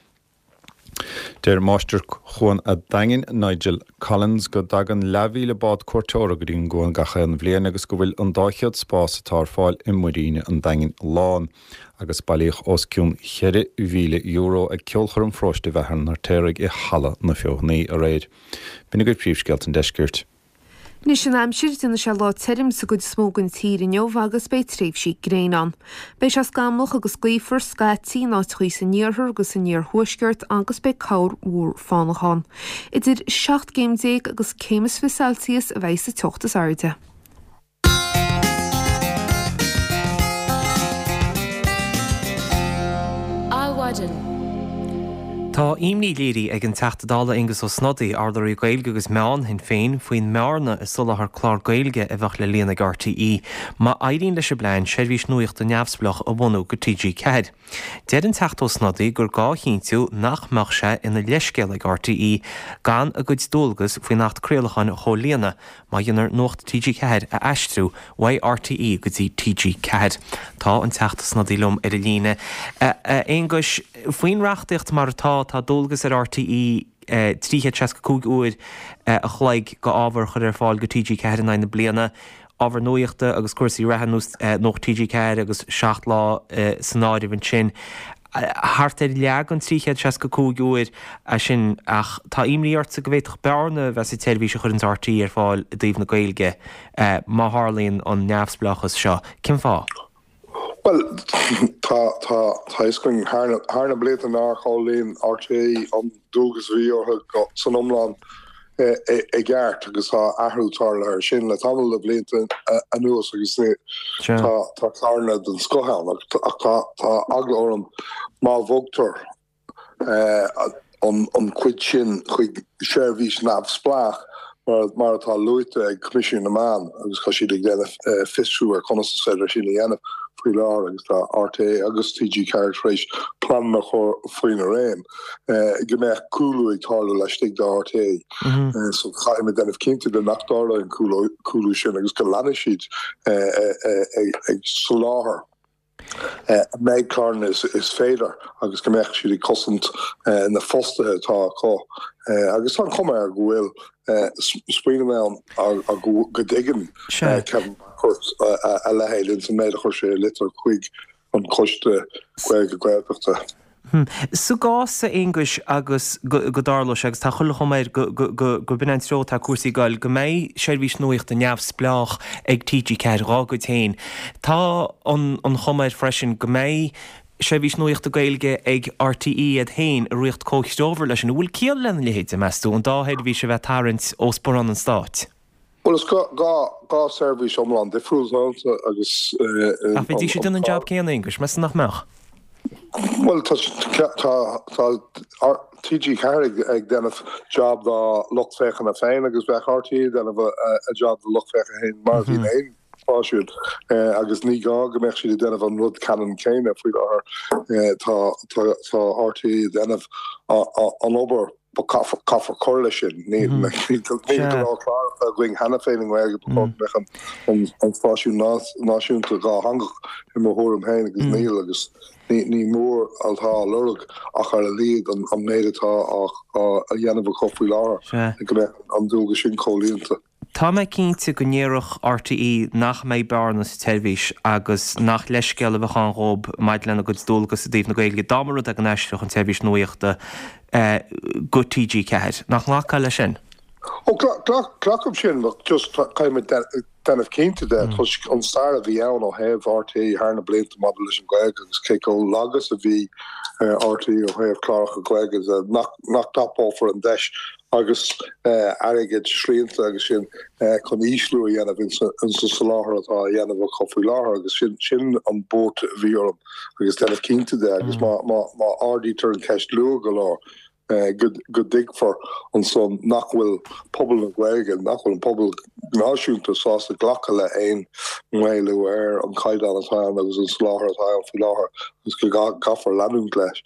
Deir Máistir Chuan a' Daingin, Nigel Collins, go dtagann leathmhíle bád cuairteora go dtí an gcuan gach aon bhliain agus go bhfuil an 200 spás atá ar fáil i Muiríne an Daingin lán. Agus bailíodh os cionn €4,000 ag Ceolchoirm Pharóiste Bheatha an Fheirtéaraigh i Halla na Feothanaí aréir. B'in agaibh príomhscéalta an deiscirt. Anois an aimsir, déanfaidh sé lá tirim sa gcuid is mó den tír inniu agus beidh tréimhsí gréine ann. Beidh sé scamallach agus gaofar scaití in áiteachaí san iarthar agus san iarthuaisceart agus beidh corrmhúr fánach ann. Idir 17 gcéim agus céim is 20 Celsius a bheidh sa teocht is airde. Adhmhaidin. Tá imní léirithe ag an Teachta Dála Aengus Ó Snodaigh, Urlabhraí Gaeilge agus Meán Shinn Féin, faoin mbearna i soláthar clár Gaeilge a bheadh le líonadh ag RTÉ má éiríonn leis an bplean seirbhís nuachta neamhspleách a bhunú go TG4. Deir an Teachta Ó Snodaigh gur gá a chinntiú nach mbeadh sé ina leithscéal ag RTÉ gan a gcuid dualgas faoin Acht Craolacháin a chomhlíonadh Má dhéanar Nuacht TG4 a aistriú uaidh RTÉ go dtí TG4. Tá an Teachta Snodaigh liom ar an líne. A Aonghuis, faoin reachtaíocht mar atá, tá dualgas ar RTÉ 365 uair a chloig go ábhar a chur ar fáil go TG4 in aghaidh na bliana, ábhar nuachta agus cúrsaí reatha Nuacht TG4 agus 7 Lá san áireamh ansin. Thart ar leath den 365 uair é sin ach tá imní ortsa go bhféadfadh bearna a bheith sa tseirbhís a chuireanns RTÉ ar fáil i dtaobh na Gaeilge má tharlaíonn an neamhspleáchas seo. Cén fáth? Bhuel, tá tá tá fhios againn thar na thar na blianta nár chomhlíon RTÉ an dualgas a bhí orthu san iomlán i gceart agus tá athrú tarlaithe ar sin le tamall de bhlianta anuas agus tá tá cláranna den scoth ann ach tá tá eagla orm má bhogtar an an chuid sin chuig seirbhís neamhspleách mar mar atá luaite ag Coimisiún na Meán agus tá siad ag déanamh fiosrú ar conas is féidir sin a dhéanamh faoi láthair agus tá RTÉ agus TG4 tar éis pleananna a chur faoina réim. go mbeadh cúlú ag tarlú laistigh de RTÉ. So caithfimid déanamh cinnte de nach dtarlóidh an cúlú sin agus go leanfaidh siad ag soláthar an méid cláranna is féidir agus go mbeadh siad ag cosaint na fostaithe atá acu. Agus tá an chuma air go bhfuil smaoineamh ann go dtuigeann Kevin Bakhurst a leithéid ins an méid a chuir sé i litir chuig an Coiste Gaeilge Gaeltachta. Sa gcás, a Aonghuis, agus go dtarlóidh sé, agus tá chuile chuma air gurb in an treo atá cúrsaí ag goil, go mbeidh seirbhís nuachta neamhspleách ag TG4 dhá gcuid féin, tá an chuma air freisin go mbeidh seirbhís nuachta Gaeilge ag RTÉ iad féin i riocht comhthreomhar leis sin. An bhfuil ciall lena leithéid, meas tú, an dá sheirbhís a bheith ag tarraingt ó sparán an stáit? Bhuel, is 2 seirbhís iomlán difriúil atá iontu agus. Ach bheidís ag déanamh an jab céanna, Aonghus, meas tú nach mbeadh? Bhuel, tá TG4 ag déanamh jab dá lucht féachana féin agus bheadh RTÉ ag déanamh a jab dá lucht féachana féin mar a bhíonn aon stáisiún agus ní gá go mbeadh siad ag déanamh an rud ceannann céanna faoi láthair. Tá RTÉ ag déanamh an obair But caithfear cur leis sin. Níl go leor cláracha againn cheana féin i nGaeilge, ba chóir go mbeadh an stáisiún náisiúnta dhátheangach i mo thuairim féin agus níl agus ní mór atá á lorg ach ar a laghad an méid atá á dhéanamh acu faoi láthair go mbeadh an dualgas sin comhlíonta. Tá mé cinnte go ndéarfadh RTÉ nach mbeidh bearna sa tseirbhís agus nach leithscéal a bheadh ann dhóib maidir lena gcuid dualgas i dtaobh na Gaeilge dá mba rud é go n-aistreodh an tseirbhís nuachta go TG4. Nach nglacfá leis sin? Ó, glacaim sin ach just caithfimid déanamh cinnte de toisc an stair a bhí ann ó thaobh RTÉ thar na blianta maidir leis an Ghaeilge agus cé chomh lag is a bhí RTÉ ó thaobh cláracha Gaeilge de nach dtapófar an deis. Agus airgead srianta agus sin chun ísliú a dhéanamh ins an soláthar atá á dhéanamh acu faoi láthair agus sin sin an buairt a bhí orm agus déanamh cinnte de agus má má má ardaítear an cheist luath go leor go go dtuigfear ansan nach bhfuil pobal na Gaeilge, nach bhfuil an pobal náisiúnta sásta glacadh le haon mhaolú ar an chaighdeán atá ann agus an soláthar atá ann faoi láthair agus go gcaithfear leanúint leis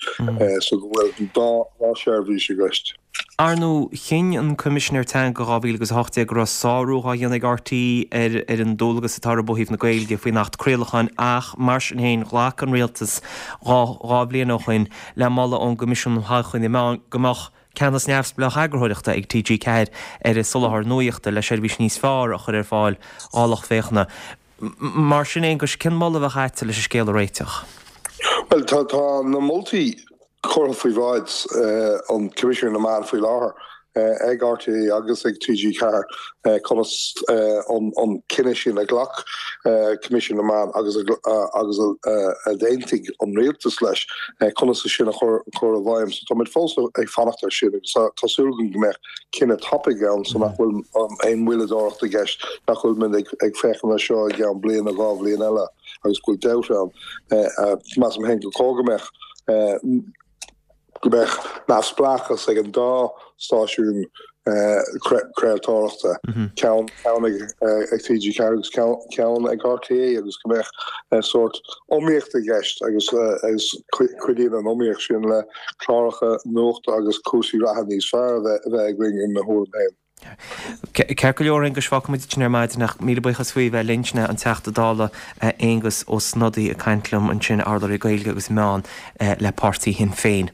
so go bhfuil an dá dá sheirbhís i gceist. Ar ndóigh, chinn an Coimisinéir Teanga 2018 go raibh sárú dhá dhéanamh ag RTÉ ar ar an ndualgas atá orthu ó thaobh na Gaeilge faoin Acht Craolacháin ach mar sin féin ghlac an Rialtas 2 bhliain ó shoin le moladh ón gCoimisiún um Thodhchaí na Meán go mbeadh ceannas neamhspleách eagarthóireachta ag TG4 ar a soláthar nuachta le seirbhís níos fearr a chur ar fáil dhá lucht féachana. Mar sin, Aonghus, cén moladh a bheadh a'dsa leis an scéal a réiteach? Bhuel, tá tá na moltaí curtha faoi bhráid an Choimisiúin na Meán faoi láthair ag RTÉ agus ag TG4 conas an cinneadh sin a ghlac Coimisiún na Meán agus agus a d'aontaigh an rialtas leis, conas é sin a chur i bhfeidhm. So táimid fós ag fanacht air sin agus tá súil agam go mbeadh cinneadh tapaidh ann so nach bhfuil aon mhoilleadóireacht i gceist, nach bhfuil muid ag féachaint air seo i gceann bliain nó 2 bhliain eile agus go bhfuil dabht ann. Measaim féin gur chóir go mbeadh go mbeadh neamhspleáchas ag an dá stáisiún craoltóireachta, ceann ag TG4 agus ceann ag RTÉ agus go mbeadh sórt iomaíocht i gceist agus cuidíonn an iomaíocht sin le cláracha nuachta agus cúrsaí reatha níos fearr a bheith againn i mo thuairim féin. Ceart go leor, Aonghus, fágfaidh muid ansin ar maidin ach míle buíochas faoi bheith linn, sin é an Teachta Dála Aengus Ó Snodaigh ag caint liom ansin, urlabhraí Gaeilge agus Meán le páirtí Shinn Féin.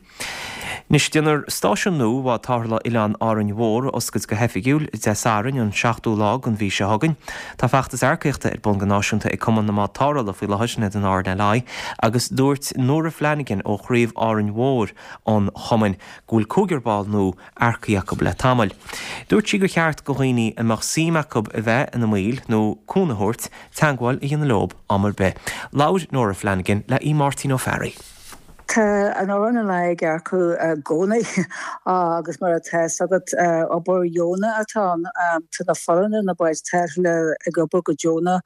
Anois, déanfar stáisiún nua bhád tarrthála Oileán Árainn Mhór a oscailt go hoifigiúil Dé Sathairn, an 7ú lá den mhí seo chugainn. Tá feachtas earcaíochta ar bun go náisiúnta ag Cumann na mBád Tarrthála faoi láthair, sin iad an RNLI, agus dúirt Nóra Flanagan ó chraobh Árainn Mhór an chumainn go bhfuil cúigear ball nua earcaithe acu le tamall. Dúirt sí gur cheart go dhaoine a mbeadh suim acu a bheith ina mbaill nó cúnamh a thabhairt, teagmháil a dhéanamh leo am ar bith. Labhair Nóra Flanagan le Aodh Máirtín Ó Fearraigh. Tá an RNLI ag earcú i gcónaí agus mar atá fhios agat, obair dheonach atá ann. Tá na foirne, na báid tarrthála ag obair go deonach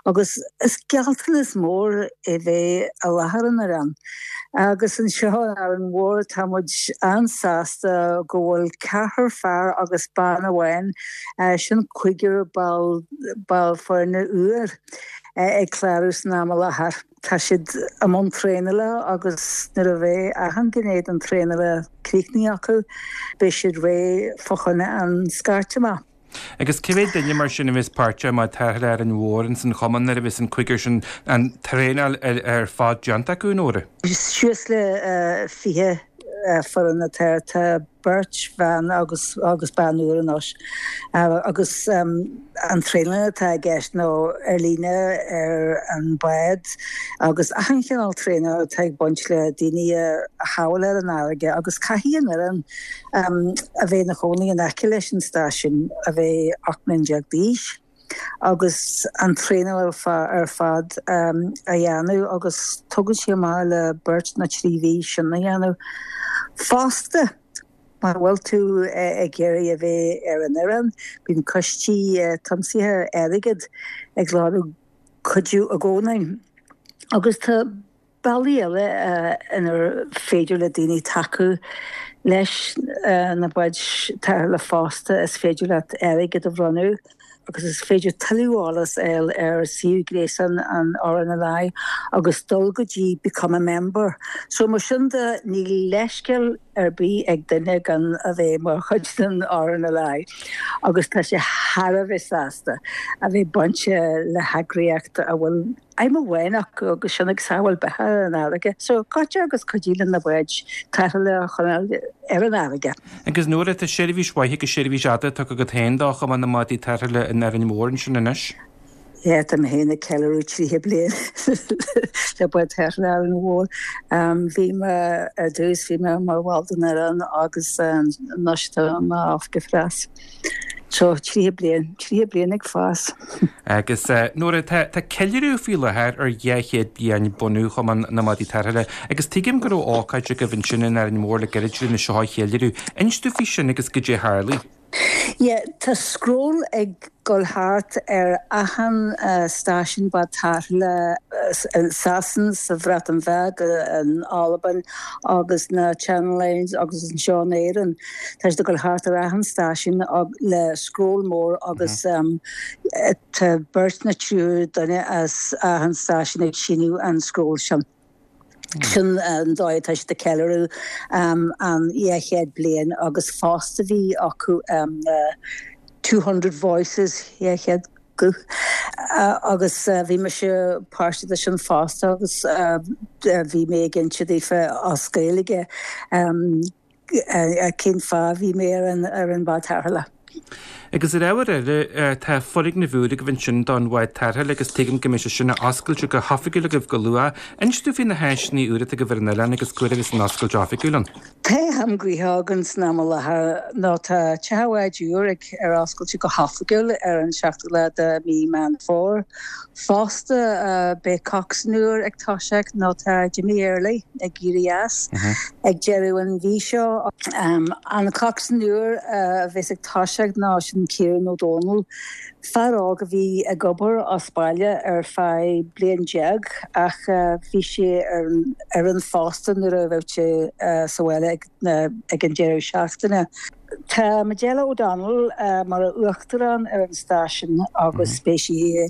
agus is gealltanas mór é bheith i láthair an oileáin. Agus anseo in Árainn Mhór tá muid an-sásta go bhfuil ceathrar fear agus bean amháin, sin cúigear ball ball foirne úr ag clárú san am i láthair. Tá siad i mbun traenála agus nuair a bheidh achan ghné den traenála críochnaithe acu, beidh siad réidh fá choinne an scairt amach. Agus cé mhéad duine mar sin a bheas páirteach i mbád tarrthála Árainn Mhór ins an chumann nuair a bheas an cúigear sin an traenáil ar fad déanta acu, Nóra? Suas le 20 foireann atá. Tá beirt bhean agus agus bean úr anois agus an traenáil atá i gceist nó ar líne ar an bhád agus achan chineál traenáil atá ag baint le daoine a shábháil ar an fharraige agus caithfidh an fhoireann a bheith ina chónaí in aice leis an stáisiún a bheith 18 mbliana d'aois. agus an traenáil ar fad a dhéanamh agus tógann sé amach le beirt nó 3 mhí sin a dhéanamh. Fosta, má bhfuil tú ag iarraidh a bheith ar an fhoireann, bíonn coistí tiomsaithe airgid ag lorg cuidiú i gcónaí agus tá Bealaí eile inar féidir le daoine tacú leis na báid tarrthála fosta, is féidir leat airgead a bhronnadh agus is féidir tuilleadh eolas a fháil ar suíomh gréasáin an RNLI agus dul go dtí 'Become a Member'. So mar sin de, níl leithscéal ar bith ag duine gan a bheith mar chuid den RNLI agus tá sé thar a bheith sásta a bheith bainte le heagraíocht a bhfuil aidhm amháin acu agus sin ag sábháil beatha ar an fharraige. So goitse agus cuidigh linn na báid tarrthála a choinneáil ar an fharraige. Agus Nóra, tá seirbhís mhaith agus seirbhís fhada tugtha agat féin do Chumann na mBádaí Tarrthála in Árainn Mhór ansin anois. Yeah, tá mé féin ag ceiliúradh 30 bliain le Bád Tarrthála Árainn Mhór. Bhí mé ar dtús, bhí mé mar bhall den fhoireann agus anois tá mé oifigeach preas. So, 30 bliain, 30 bliain ag fás. Agus Nóra, tá tá ceiliúradh faoi láthair ar 200 bliain bunú Chumann na Madaí Tarrthála agus tuigim go raibh ócáid agaibh ansin in Árainn Mhór le gairid lena seo a cheiliúradh. Inis domh faoi sin agus goidé a tharlaigh. Yeah, tá scroll ag dul thart ar achan stáisiún bád tarrthála i Sasain, sa Bhreatain Bheag, in Albain agus na Channel Islands agus anseo in Éirinn. Tá siad ag dul thart ar achan stáisiún le scroll mór agus tá beirt nó triúr duine as achan stáisiún ag síniú an scroll sin. Sin an dóigh atá siad ag ceiliúradh an 200 bliain agus fosta bhí acu 200 voices, 200 guth, agus bhí mise páirteach de sin fosta agus bhí mé ag inse daofa as Gaeilge. Cén fáth a bhí mé ar an ar an bhád tarrthála? Agus ar ábhar eile, tá foirgneamh úr agaibh ansin don bhád tarrthála agus tuigim go mbeidh sé sin á oscailt go hoifigiúil agaibh go luath. Inis domh faoi na háiseanna úra atá agaibh ar an oileán agus cá huair a bheas an oscailt oifigiúil ann. Tá am gnoitheach againn san am i láthair nó tá teach an bháid úr ag ar oscailt go hoifigiúil ar an seachtú lá de mhí Meán Fómhair. Fosta, beidh coxswain úr ag toiseacht nó tá Jimmy Earley ag éirí as ag deireadh an mhí seo. An coxswain úr a bheas ag toiseacht ná sin Ciarán Ó Dónaill, fear óg a bhí ag obair as baile ar feadh bliain déag ach bhí sé ar an fhoireann fosta nuair a bheadh sé sa bhaile ag an deireadh seachtaine. Tá Majella O'Donnell mar uachtarán ar an stáisiún agus beidh sí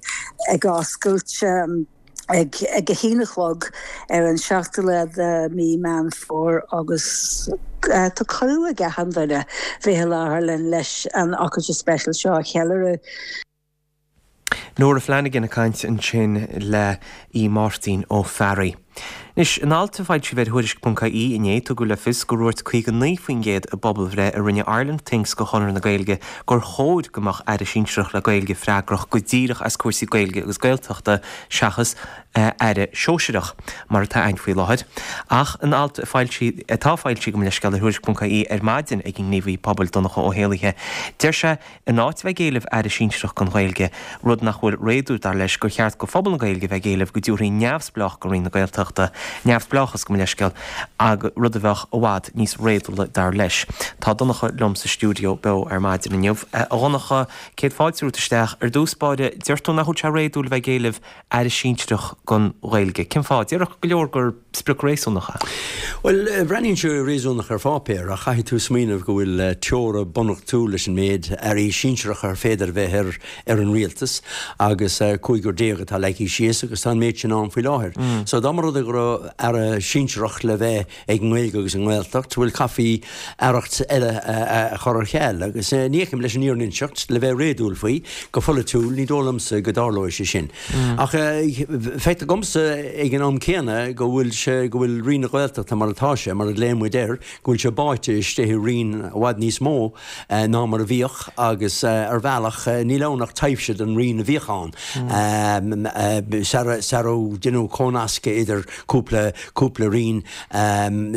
ag oscailt ag a haon a chlog ar an seachtú lá de mhí Meán Fómhair agus tá cuireadh ag achan duine bheith i láthair linn leis an ócáid speisialta seo a cheiliúradh. Nóra Flanagan ag caint ansin le Aodh Máirtín Ó Fearraigh. Anois, in alt a foilsíodh ar Thuairisc.ie inné, tugadh le fios gur dhúirt 59% i bpobalbhreith a rinne Ireland Thinks do Chonradh na Gaeilge gur chóir go mbeadh Aire Sinsearach le Gaeilge freagrach go díreach as cúrsaí Gaeilge agus Gaeltachta seachas Aire Sóisearach, mar atá ann faoi láthair. Ach in alt a foilsíodh, atá foilsithe, gabh mo leithscéal, ar Thuairisc.ie ar maidin ag an ngníomhaí pobail Donncha Ó hÉallaithe, deir sé, In áit a bheith ag éileamh Aire Sinsearach don Ghaeilge, rud nach bhfuil réadúil dar leis, gur cheart go phobal na Gaeilge bheith ag éileamh go dtabharfaí neamhspleách go Roinn na Gaeltachta, neamhspleáchas gabh mo leithscéal, rud a bheadh i bhfad níos réadúla dar leis. Tá Donncha liom sa stiúideo beo ar maidin inniu. A Dhonncha, céad fáilte romhat isteach. Ar dtús báire, deir tú nach bhfuil sé réadúil a bheith ag éileamh Aire Sinsearach don Ghaeilge. Cén fáth? Déarfadh go leor gur sprioc réasúnach é. Bhuel, breathnaíonn sé réasúnach ar pháipéar, ach caithfidh tú smaoineamh go bhfuil teora bunreachtúil leis an méid airí sinsearacha ar féidir a bheith ar ar an rialtas agus cúigear déag atá leagtha síos agus tá an méid sin ann faoi láthair. So dá mba rud é go raibh aire sinsearach le bheith ag an nGaeilge agus an nGaeltacht, bhuel chaithfí aireacht eile a chur ar ceal. Agus ní fheicim, leis an fhírinne a inseacht, le bheith réadúil faoi, go pholaitiúil, ní dóigh liomsa go dtarlóidh sé sin. Ach feictear dhomsa ag an am céanna go bhfuil sé, go bhfuil Roinn na Gaeltachta mar atá sé, mar a ghlaonn muid air, go bhfuil sé báite istigh i roinn i bhfad níos mó ná mar a bhíodh agus ar bhealach níl ann ach taibhse den roinn a bhíodh ann sara deineadh cónascadh idir cúpla cúpla roinn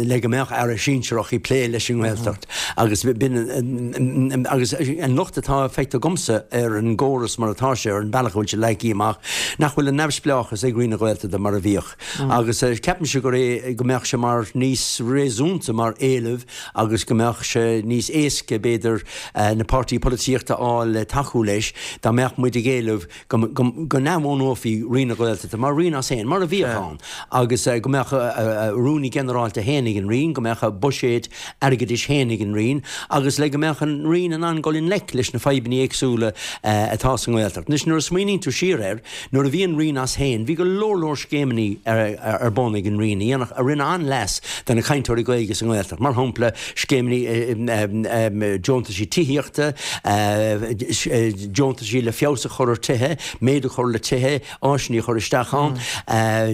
le go mbeadh aire sinsearach ag plé leis an nGaeltacht agus b'in agus an locht atá feicthe agamsa ar an gcóras mar atá sé, ar an bealach a bhfuil sé leagtha amach, nach bhfuil an neamhspleáchas ag Roinn na Gaeltachta mar a bhíodh. Agus ceapaimse gur é go mbeadh sé mar níos réasúnta mar éileamh agus go mbeadh sé níos éasca b'fhéidir na páirtithe polaitíochta a fháil le tacú leis dá mbeadh muid ag éileamh go n-athbhunófaí Roinn na Gaeltachta mar roinn as féin, mar a bhíodh ann, agus go mbeadh a rúnaí ginearálta féin ag an Roinn, go mbeadh a buiséad airgeadais féin ag an Roinn, agus le go mbeadh an Roinn in ann dul i ngleic leis na fadhbanna éagsúla atá sa nGaeltacht. Anois, nuair a smaoiníonn tú siar air, nuair a bhí an Roinn as féin, bhí go leor leor scéimeanna ar bun ag an Roinn a dhéanfadh, a rinne an-leas do na cainteoirí Gaeilge sa nGaeltacht, mar shampla, scéimeanna deontaisí tithíochta, deontaisí le feabhas a chur ar tithe, méadú a chur le tithe, áiseanna a chur isteach ann,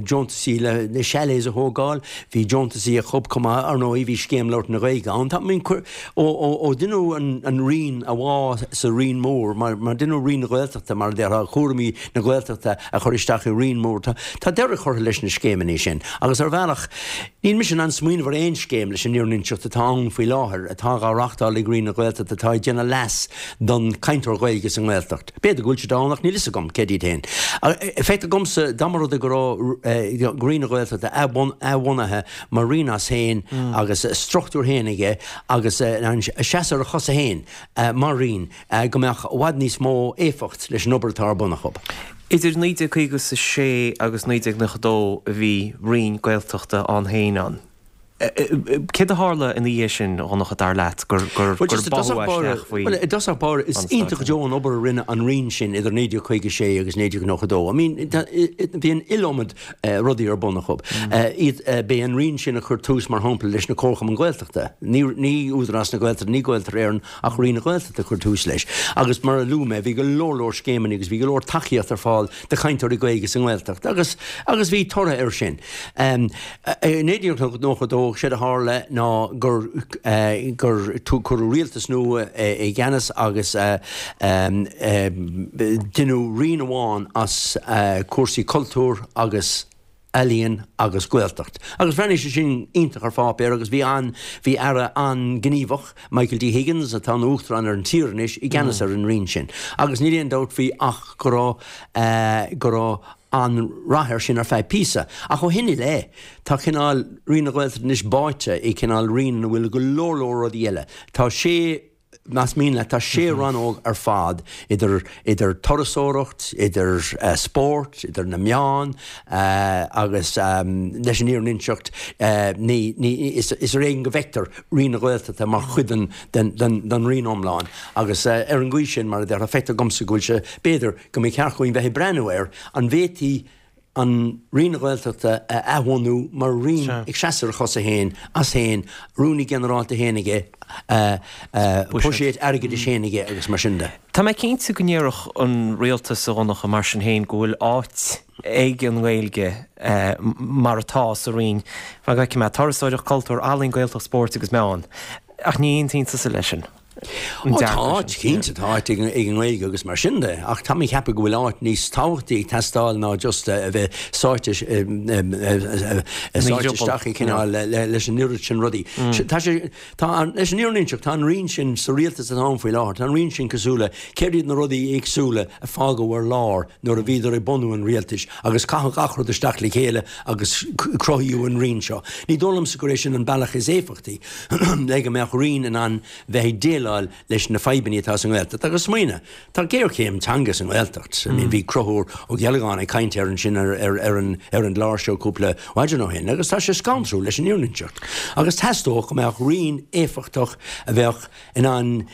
deontaisí le chalets a thógáil, bhí deontaisí acu chomh maith, ar ndóigh bhí Scéim Labhairt na Gaeilge ann. Tá, I mean, ó deineadh an Roinn a bhá sa Roinn Mór, mar deineadh Roinn na Gaeltachta, mar a déarfá, cúraimí na Gaeltachta a chur isteach i Roinn Mór, tá deireadh curtha leis na scéimeanna sin agus. Agus ar bhealach, níl mise in ann smaoineamh ar aon scéim, leis an fhírinne a inseacht, atá ann faoi láthair, atá dhá reachtáil ag Roinn na Gaeltachta atá ag déanamh leas don cainteoir Ghaeilge sa nGaeltacht. B'fhéidir go bhfuil siad ann ach níl fhios agam céard iad féin. Feictear dhomsa dá mba rud é go raibh Roinn na Gaeltachta athbhunaithe mar roinn as féin agus a struchtúr féin aige agus in ann seasamh ar a chosa féin mar roinn, go mbeadh i bhfad níos mó éifeacht leis an obair atá ar bun acu. Idir 1956 agus 1992 a bhí Roinn Gaeltachta ann féin ann. Céard a tharla ina dhiaidh sin, a Dhonncha, dar leat, gur báthadh isteach faoi Bhuel, i dtosach báire, is iontach go deo an obair a rinne an Roinn sin idir 1956 agus 1992. I mean, bhí an iliomad rudaí ar bun acu. Iad, b'é an Roinn sin a chuir tús, mar shampla, leis na Comharchumainn Gaeltachta. Ní, ní Údarás na Gaeltachta, ní Gaeltarra Éireann, ach Roinn na Gaeltachta a chuir tús leis. Agus mar a luaigh mé, bhí go leor leor scéimeanna agus bhí go leor tacaíocht ar fáil do chainteoirí Gaeilge sa nGaeltacht agus, agus bhí toradh air sin. I 1992, séard a tharla ná gur gur cuireadh rialtas nua i gceannas agus deineadh roinn amháin as cúrsaí cultúir agus ealaíon agus Gaeltacht. Agus bhreathnaigh sé sin iontach ar pháipéar agus bhí an, bhí Aire an-ghníomhach, Michael D. Higgins, atá ina Uachtarán ar an tír anois, i gceannas ar an roinn sin. Agus níl aon dabht faoi ach go raibh, go raibh an-rath air sin ar feadh píosa. Ach ó shin i leith, tá cineál Roinn na Gaeltachta anois báite i cineál roinn ina bhfuil go leor leor rudaí eile. Tá sé, más mian leat, tá sé rannóg ar fad, idir, idir turasóireacht, idir spórt, idir na meáin, agus leis an fhírinne a inseacht, ní, ní, is, is ar éigean go bhfeictear Roinn na Gaeltachta mar chuid den, den, den, den roinn iomlán. Agus ar an gcaoi sin, mar a déarfá, feictear dhomsa go bhfuil sé, b'fhéidir, go mba cheart dhúinn bheith ag breathnú air, an bhféadfaí an Roinn na Gaeltachta a athbhunú mar roinn ag seasamh ar a chosa féin, as féin, Rúnaí Ginearálta féin aige, buiséad airgeadais féin aige agus mar sin de. Tá mé cinnte go ndéarfadh an rialtas, a Dhonncha, mar sin féin, go bhfuil áit ag an nGaeilge mar atá sa Roinn, mar go bhfeicfidh mé, turasóireacht, cultúr, ealaín, Gaeltacht, spóirt agus meáin. Ach ní aontaíonn tusa leis sin. Ó tá áit, cinnte, tá áit ag an nGaeilge agus mar sin de, ach tá mé ag ceapadh go bhfuil áit níos tábhachtaí ag teastáil ná just a bheith sáite sáite isteach i cineál leis an oiread sin rudaí. Tá sé, tá an, leis an fhírinne a inseacht, tá an roinn sin sa rialtas atá ann faoi láthair, tá an roinn sin cosúil le céard iad na rudaí éagsúla a fágadh ar lár nuair a bhíodar ag bunú an rialtais agus caitheadh gach rud isteach le chéile agus cruthaíodh an roinn seo. Ní dóigh liomsa gur é sin an bealach is éifeachtaí le go mbeadh roinn in ann bheith ag déileáil leis na fadhbanna atá sa nGaeltacht. Agus smaoinigh, tá géarchéim teanga sa nGaeltacht. I mean bhí Conchúr Ó Ceallacháin ag caint air ansin ar ar an ar an gclár seo cúpla maidin ó shin agus tá sé scantrúil leis an fhírinne a inseacht. Agus theastódh go mbeadh roinn éifeachtach a bheadh in ann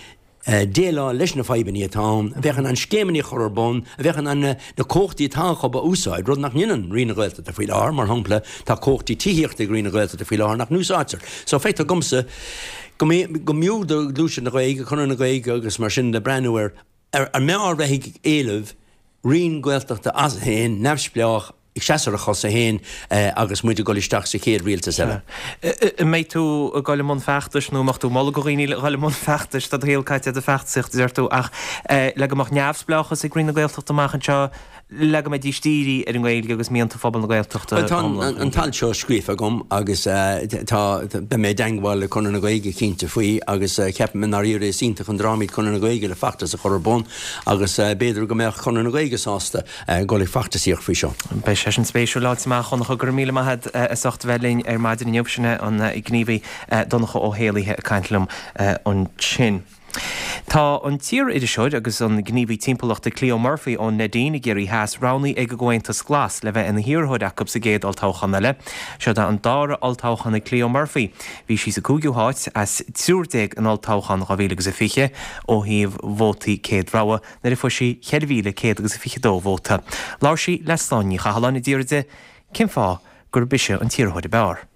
déileáil leis na fadhbanna atá ann, a bheadh in ann scéimeanna a chur ar bun, a bheadh in ann na cumhachtaí atá acu a úsáid, rud nach ndéanann Roinn na Gaeltachta faoi láthair. Mar shampla, tá cumhachtaí tithíochta ag Roinn na Gaeltachta faoi láthair nach n-úsáidtear. So feictear dhomsa go mb'fhiú do Ghluaiseacht na Gaeilge, Conradh na Gaeilge agus mar sin de breathnú ar an mb'fhearr bheith ag éileamh Roinn Gaeltachta as féin, neamhspleách, ag seasamh ar a chosa féin agus muid ag dul isteach sa chéad rialtas eile. An mbeidh tú ag dul i mbun feachtais nó an mbeadh tú ag moladh do dhaoine a dhul i mbun feachtais? Tá do shaol caite i do feachtasaíocht, a deir tú, ach le go mbeadh neamhspleáchas ag Roinn na Gaeltachta amach anseo, le go mbeidís dírithe ar an nGaeilge agus mianta phobal na Gaeltachta Bhuel, tá an t-alt seo scríofa agam agus tá, beidh mé i dteangmháil le Conradh na Gaeilge cinnte faoi agus ceapaim i ndáiríre is iontach an dream iad Conradh na Gaeilge le feachtas a chur ar bun agus b'fhéidir go mbeadh Conradh na Gaeilge sásta dul ag feachtasaíocht faoi seo. Beidh sé sin spéisiúil le fáilt amach, Donncha. Go raibh míle maith agat as ucht a bheith linn ar maidin inniu. Sin é an gníomhaí Donncha Ó hÉallaithe ag caint liom ansin. Tá an t-iar-iriseoir agus an gníomhaí timpeallachta Cleo Murphy ón Neidín i gCiarraí Theas roghnaithe ag an gComhaontas Glas le bheith ina hiarrthóir acu sa gcéad olltoghchán eile. Seo é an dara olltoghchán ag Cleo Murphy. Bhí sí sa cúigiú háit as 13 in olltoghchán 2020 ó thaobh vótaí céad rogha nuair a fuair sí 4,100 agus 22 vóta. Labhair sí le Sláine Ní Chathalláin a d'fhiafraigh di cén fáth gurb ise an t-iarrthóir ab fhearr.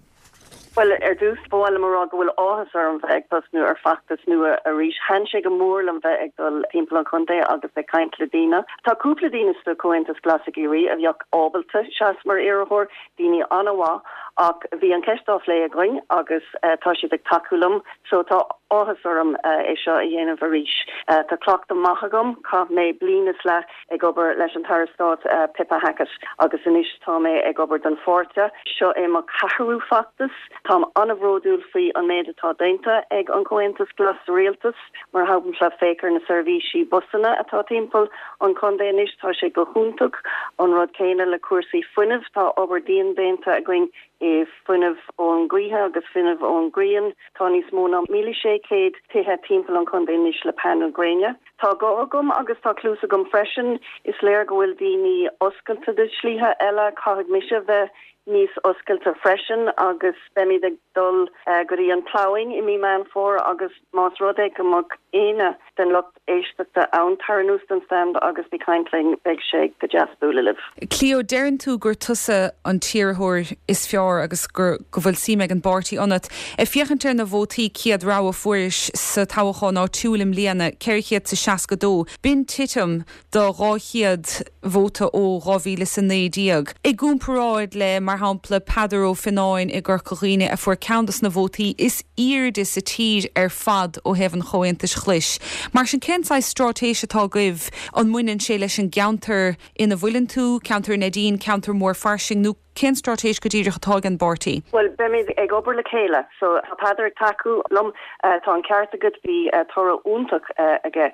Bhuel, ar dtús, ba mhaith liom a rá go bhfuil áthas orm bheith ag tosnú ar feachtas nua arís. Thaitin sé go mór liom bheith ag dul timpeall an chontae agus ag caint le daoine. Tá cúpla daoine sa Chomhaontas Glas i gCiarraí a bheadh ábalta seas mar iarrthóir, daoine an-mhaith. Ach bhí an cheist á phlé againn agus tá siad ag tacú liom so tá áthas orm é seo a dhéanamh arís. Tá cleachtadh maith agam, chaith mé bliain is leath ag obair leis an tAire Stáit Pippa Hackett agus anois tá mé ag obair don pháirtí. Seo é mo cheathrú feachtas. Táim an-bhródúil faoi an méid atá déanta ag an Comhaontas Glas sa rialtas. Mar shampla, féach ar na seirbhísí busanna atá timpeall an chontae anois, tá sé go hiontach. An rud céanna le cúrsaí fuinnimh, tá obair dian déanta againn i fuinneamh ón gaoithe agus fuinneamh ón ghrian. Tá níos mó ná 1,600 tithe timpeall an chontae anois le painéil gréine. Tá guth agam agus tá cluas agam freisin. Is léir go bhfuil daoine oscailte do shlíthe eile. Caithfidh mise bheith níos oscailte freisin agus beimid ag dul go dtí an Ploughing i mí Meán Fómhair agus más rud é go mbeadh éinne den lucht éisteachta ann, tar anuas don stand agus bí caint linn, beidh sé go deas bualadh libh. Cleo, deireann tú gur tusa an t-iarrthóir is fearr agus gur go bhfuil suim ag an bpáirtí ionat. Ag féachaint ar na vótaí céad rogha a fuairis sa toghchán áitiúil i mbliana, 462, b'in titim de 200 vóta ó 2019. I gcomparáid le, mar shampla, Peadar Ó Fionnáin i gCorca Dhuibhne a fuair ceann dos na vótaí is airde sa tír ar fad ó thaobh an Chomhaontais Ghlais. Mar sin, cén saghas stráitéis atá agaibh? An mbaineann sé leis an gceantar ina bhfuileann tú, ceantar Neidín, ceantar mór fairsing, nó cén straitéis go díreach atá ag an bpáirtí? Bhuel, beimid ag obair le chéile. So, tá Peadar ag tacú liom. Tá an ceart agat, bhí toradh iontach aige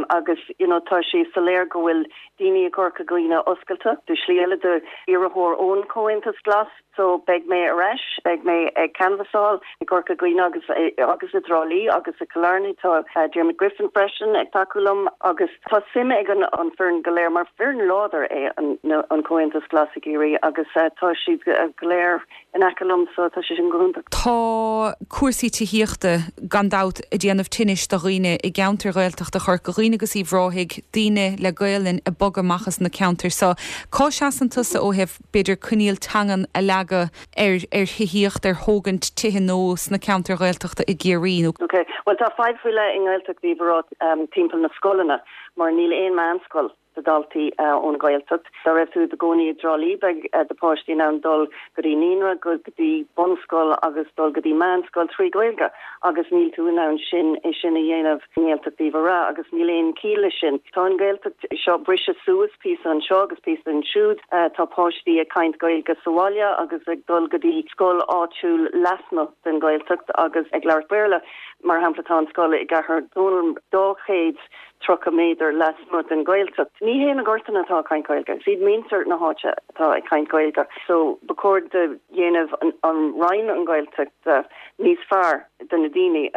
agus, you know, tá sé soiléir go bhfuil daoine i gCorca Dhuibhne oscailte do shlí eile, do iarrthóir ón Chomhaontas Glas. So, beidh mé ar ais, beidh mé ag canbhasáil i gCorca Dhuibhne agus agus i dTrá Lí agus i gCill Airne. Tá Diarmuid Griffin freisin ag tacú liom agus tá suim ag an an foireann go léir mar foireann láidir é an an Comhaontas Glas i gCiarraí agus tá siad go léir in aice liom so tá sé sin go hiontach. Tá cúrsaí tithíochta gan dabht ag déanamh tinnis do dhaoine i gceantair Ghaeltachta Chorca Dhuibhne agus Uíbh Ráthaigh, daoine le Gaelainn ag bogadh amach as na ceantair so. Cá seasann tusa ó thaobh b'fhéidir, coinníoll teangan a leagadh ar ar thithíocht, ar thógaint tithe nua sna ceantair Ghaeltachta i gCiarraí, nó. Ok, bhuel tá fadhb faoi leith i nGaeltacht Uíbh Ráthaigh timpeall na scoileanna mar níl aon meánscoil do dhaltaí ón Ghaeltacht. Dá raibh tú i do gcónaí i dTrá Lí beidh do pháistí in ann dul go dtí naíonra, go dtí bunscoil agus dul go dtí meánscoil trí Ghaeilge agus níl tú in ann sin é sin a dhéanamh i nGaeltacht Uíbh Ráthaigh agus níl aon chiall leis sin. Tá an Ghaeltacht seo briste suas, píosa anseo agus píosa ansiúd. Tá páistí ag caint Gaeilge sa bhaile agus ag dul go dtí scoil áitiúil lasmuigh den Ghaeltacht agus ag labhairt Béarla. Mar shampla tá an scoil i gCathair Dónall 230 méadar lasmuigh den Ghaeltacht. Ní hé na gortanna atá ag caint Gaeilge, is iad muintir na háite atá ag caint Gaeilge. So ba chóir do dhéanamh an Roinn an Ghaeltacht níos fearr do na daoine.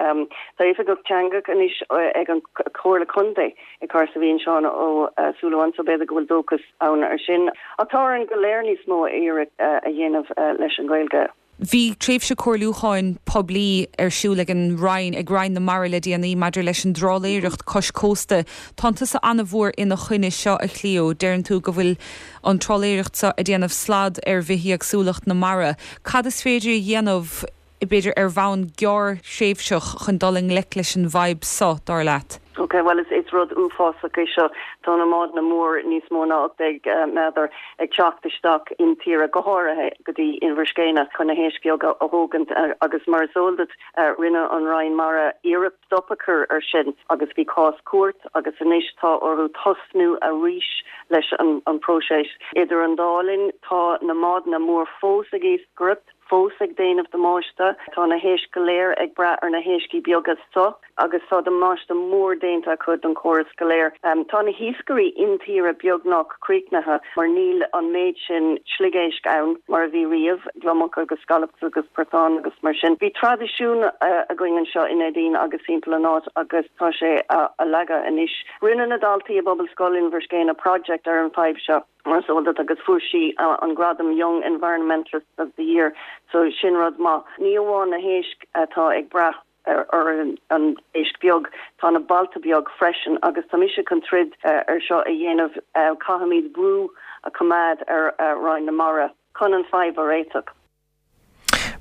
Tá oifigeach teanga anois ag an Chomhairle Contae i Cahersiveen, Seán Ó Súilleabháin, so b'fhéidir go bhfuil dóchas ann ar sin. Ach tá orainn go léir níos mó iarracht a dhéanamh leis an Ghaeilge. Bhí tréimhse comhairliúcháin poiblí ar siúl ag an Roinn, ag Roinn na Mara le déanaí maidir leis an dtrálaeireacht cois cósta. Tánn tusa an-mhór ina choinne seo, a Chleo. Deireann tú go bhfuil an trálaeireacht seo ag déanamh slad ar bhithéagsúlacht na mara. Cad is féidir a dhéanamh, b'fhéidir ar bhonn gearrthréimhseach, chun dul i ngleic leis an bhfadhb so, dar leat? Ok, bhuel is is rud uafásach é seo. Tá na mbádanna mór níos mó ná 18 méadar ag teacht isteach intíre, go háirithe go dtí Inbhir Scéine chun na héisc bheaga a thógaint agus mar is eol duit rinne an Roinn Mara iarracht stop a chur ar sin agus bhí cás cúirt agus anois tá orthu tosnú arís leis an próiseas. Idir an dá linn tá na mbádanna mór fós ag iascaireacht, fós ag déanamh damáiste. Tá na héisc go léir ag brath ar na héiscí beaga so agus tá damáiste mór déanta acu don chóras go léir. Tá na hiascairí intíre beagnach críochnaithe mar níl an méid sin sliogéisc ann mar a bhí riamh, gliomach agus scallops agus portáin agus mar sin. Bhí traidisiún againn anseo i Neidín agus timpeall an áit agus tá sé á leagadh anois. Rinne na daltaí i bPobalscoil Inbhir Scéine project ar an fadhb seo mar is eol duit agus fuair sí an gradam Young Environmentalist of the Year so sin rud maith. Ní amháin na héisc atá ag brath ar an éisc beag, tá na bailte beag freisin agus tá mise chun troid ar seo a dhéanamh. Caithfimid brú a choimeád ar Roinn na Mara chun an fadhb a réiteach.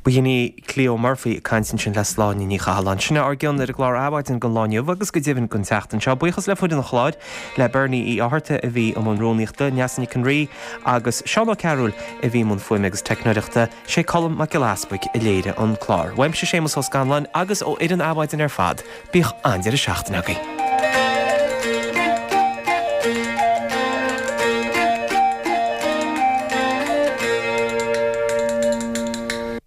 B'shin í Cleo Murphy ag caint ansin le Sláine Ní Chathalláin. Sin é ár gcion ar an gclár Adhmhaidin don lá inniu agus go deimhin don tseachtain seo. Buíochas le foireann an chláir, le Bernie Uí Fhátharta a bhí i mbun rúnaíochta, Neasa Nic an Rí agus Seán Ó Cearúil a bhí i mbun fuaime agus teicneoireachta. Sé Colm Mac Giolla Easpaig a léirigh an clár. Uaimse Séamus Ó Scanláin agus ó fhoireann Adhmhaidin ar fad, bíodh an-deireadh seachtaine agaibh.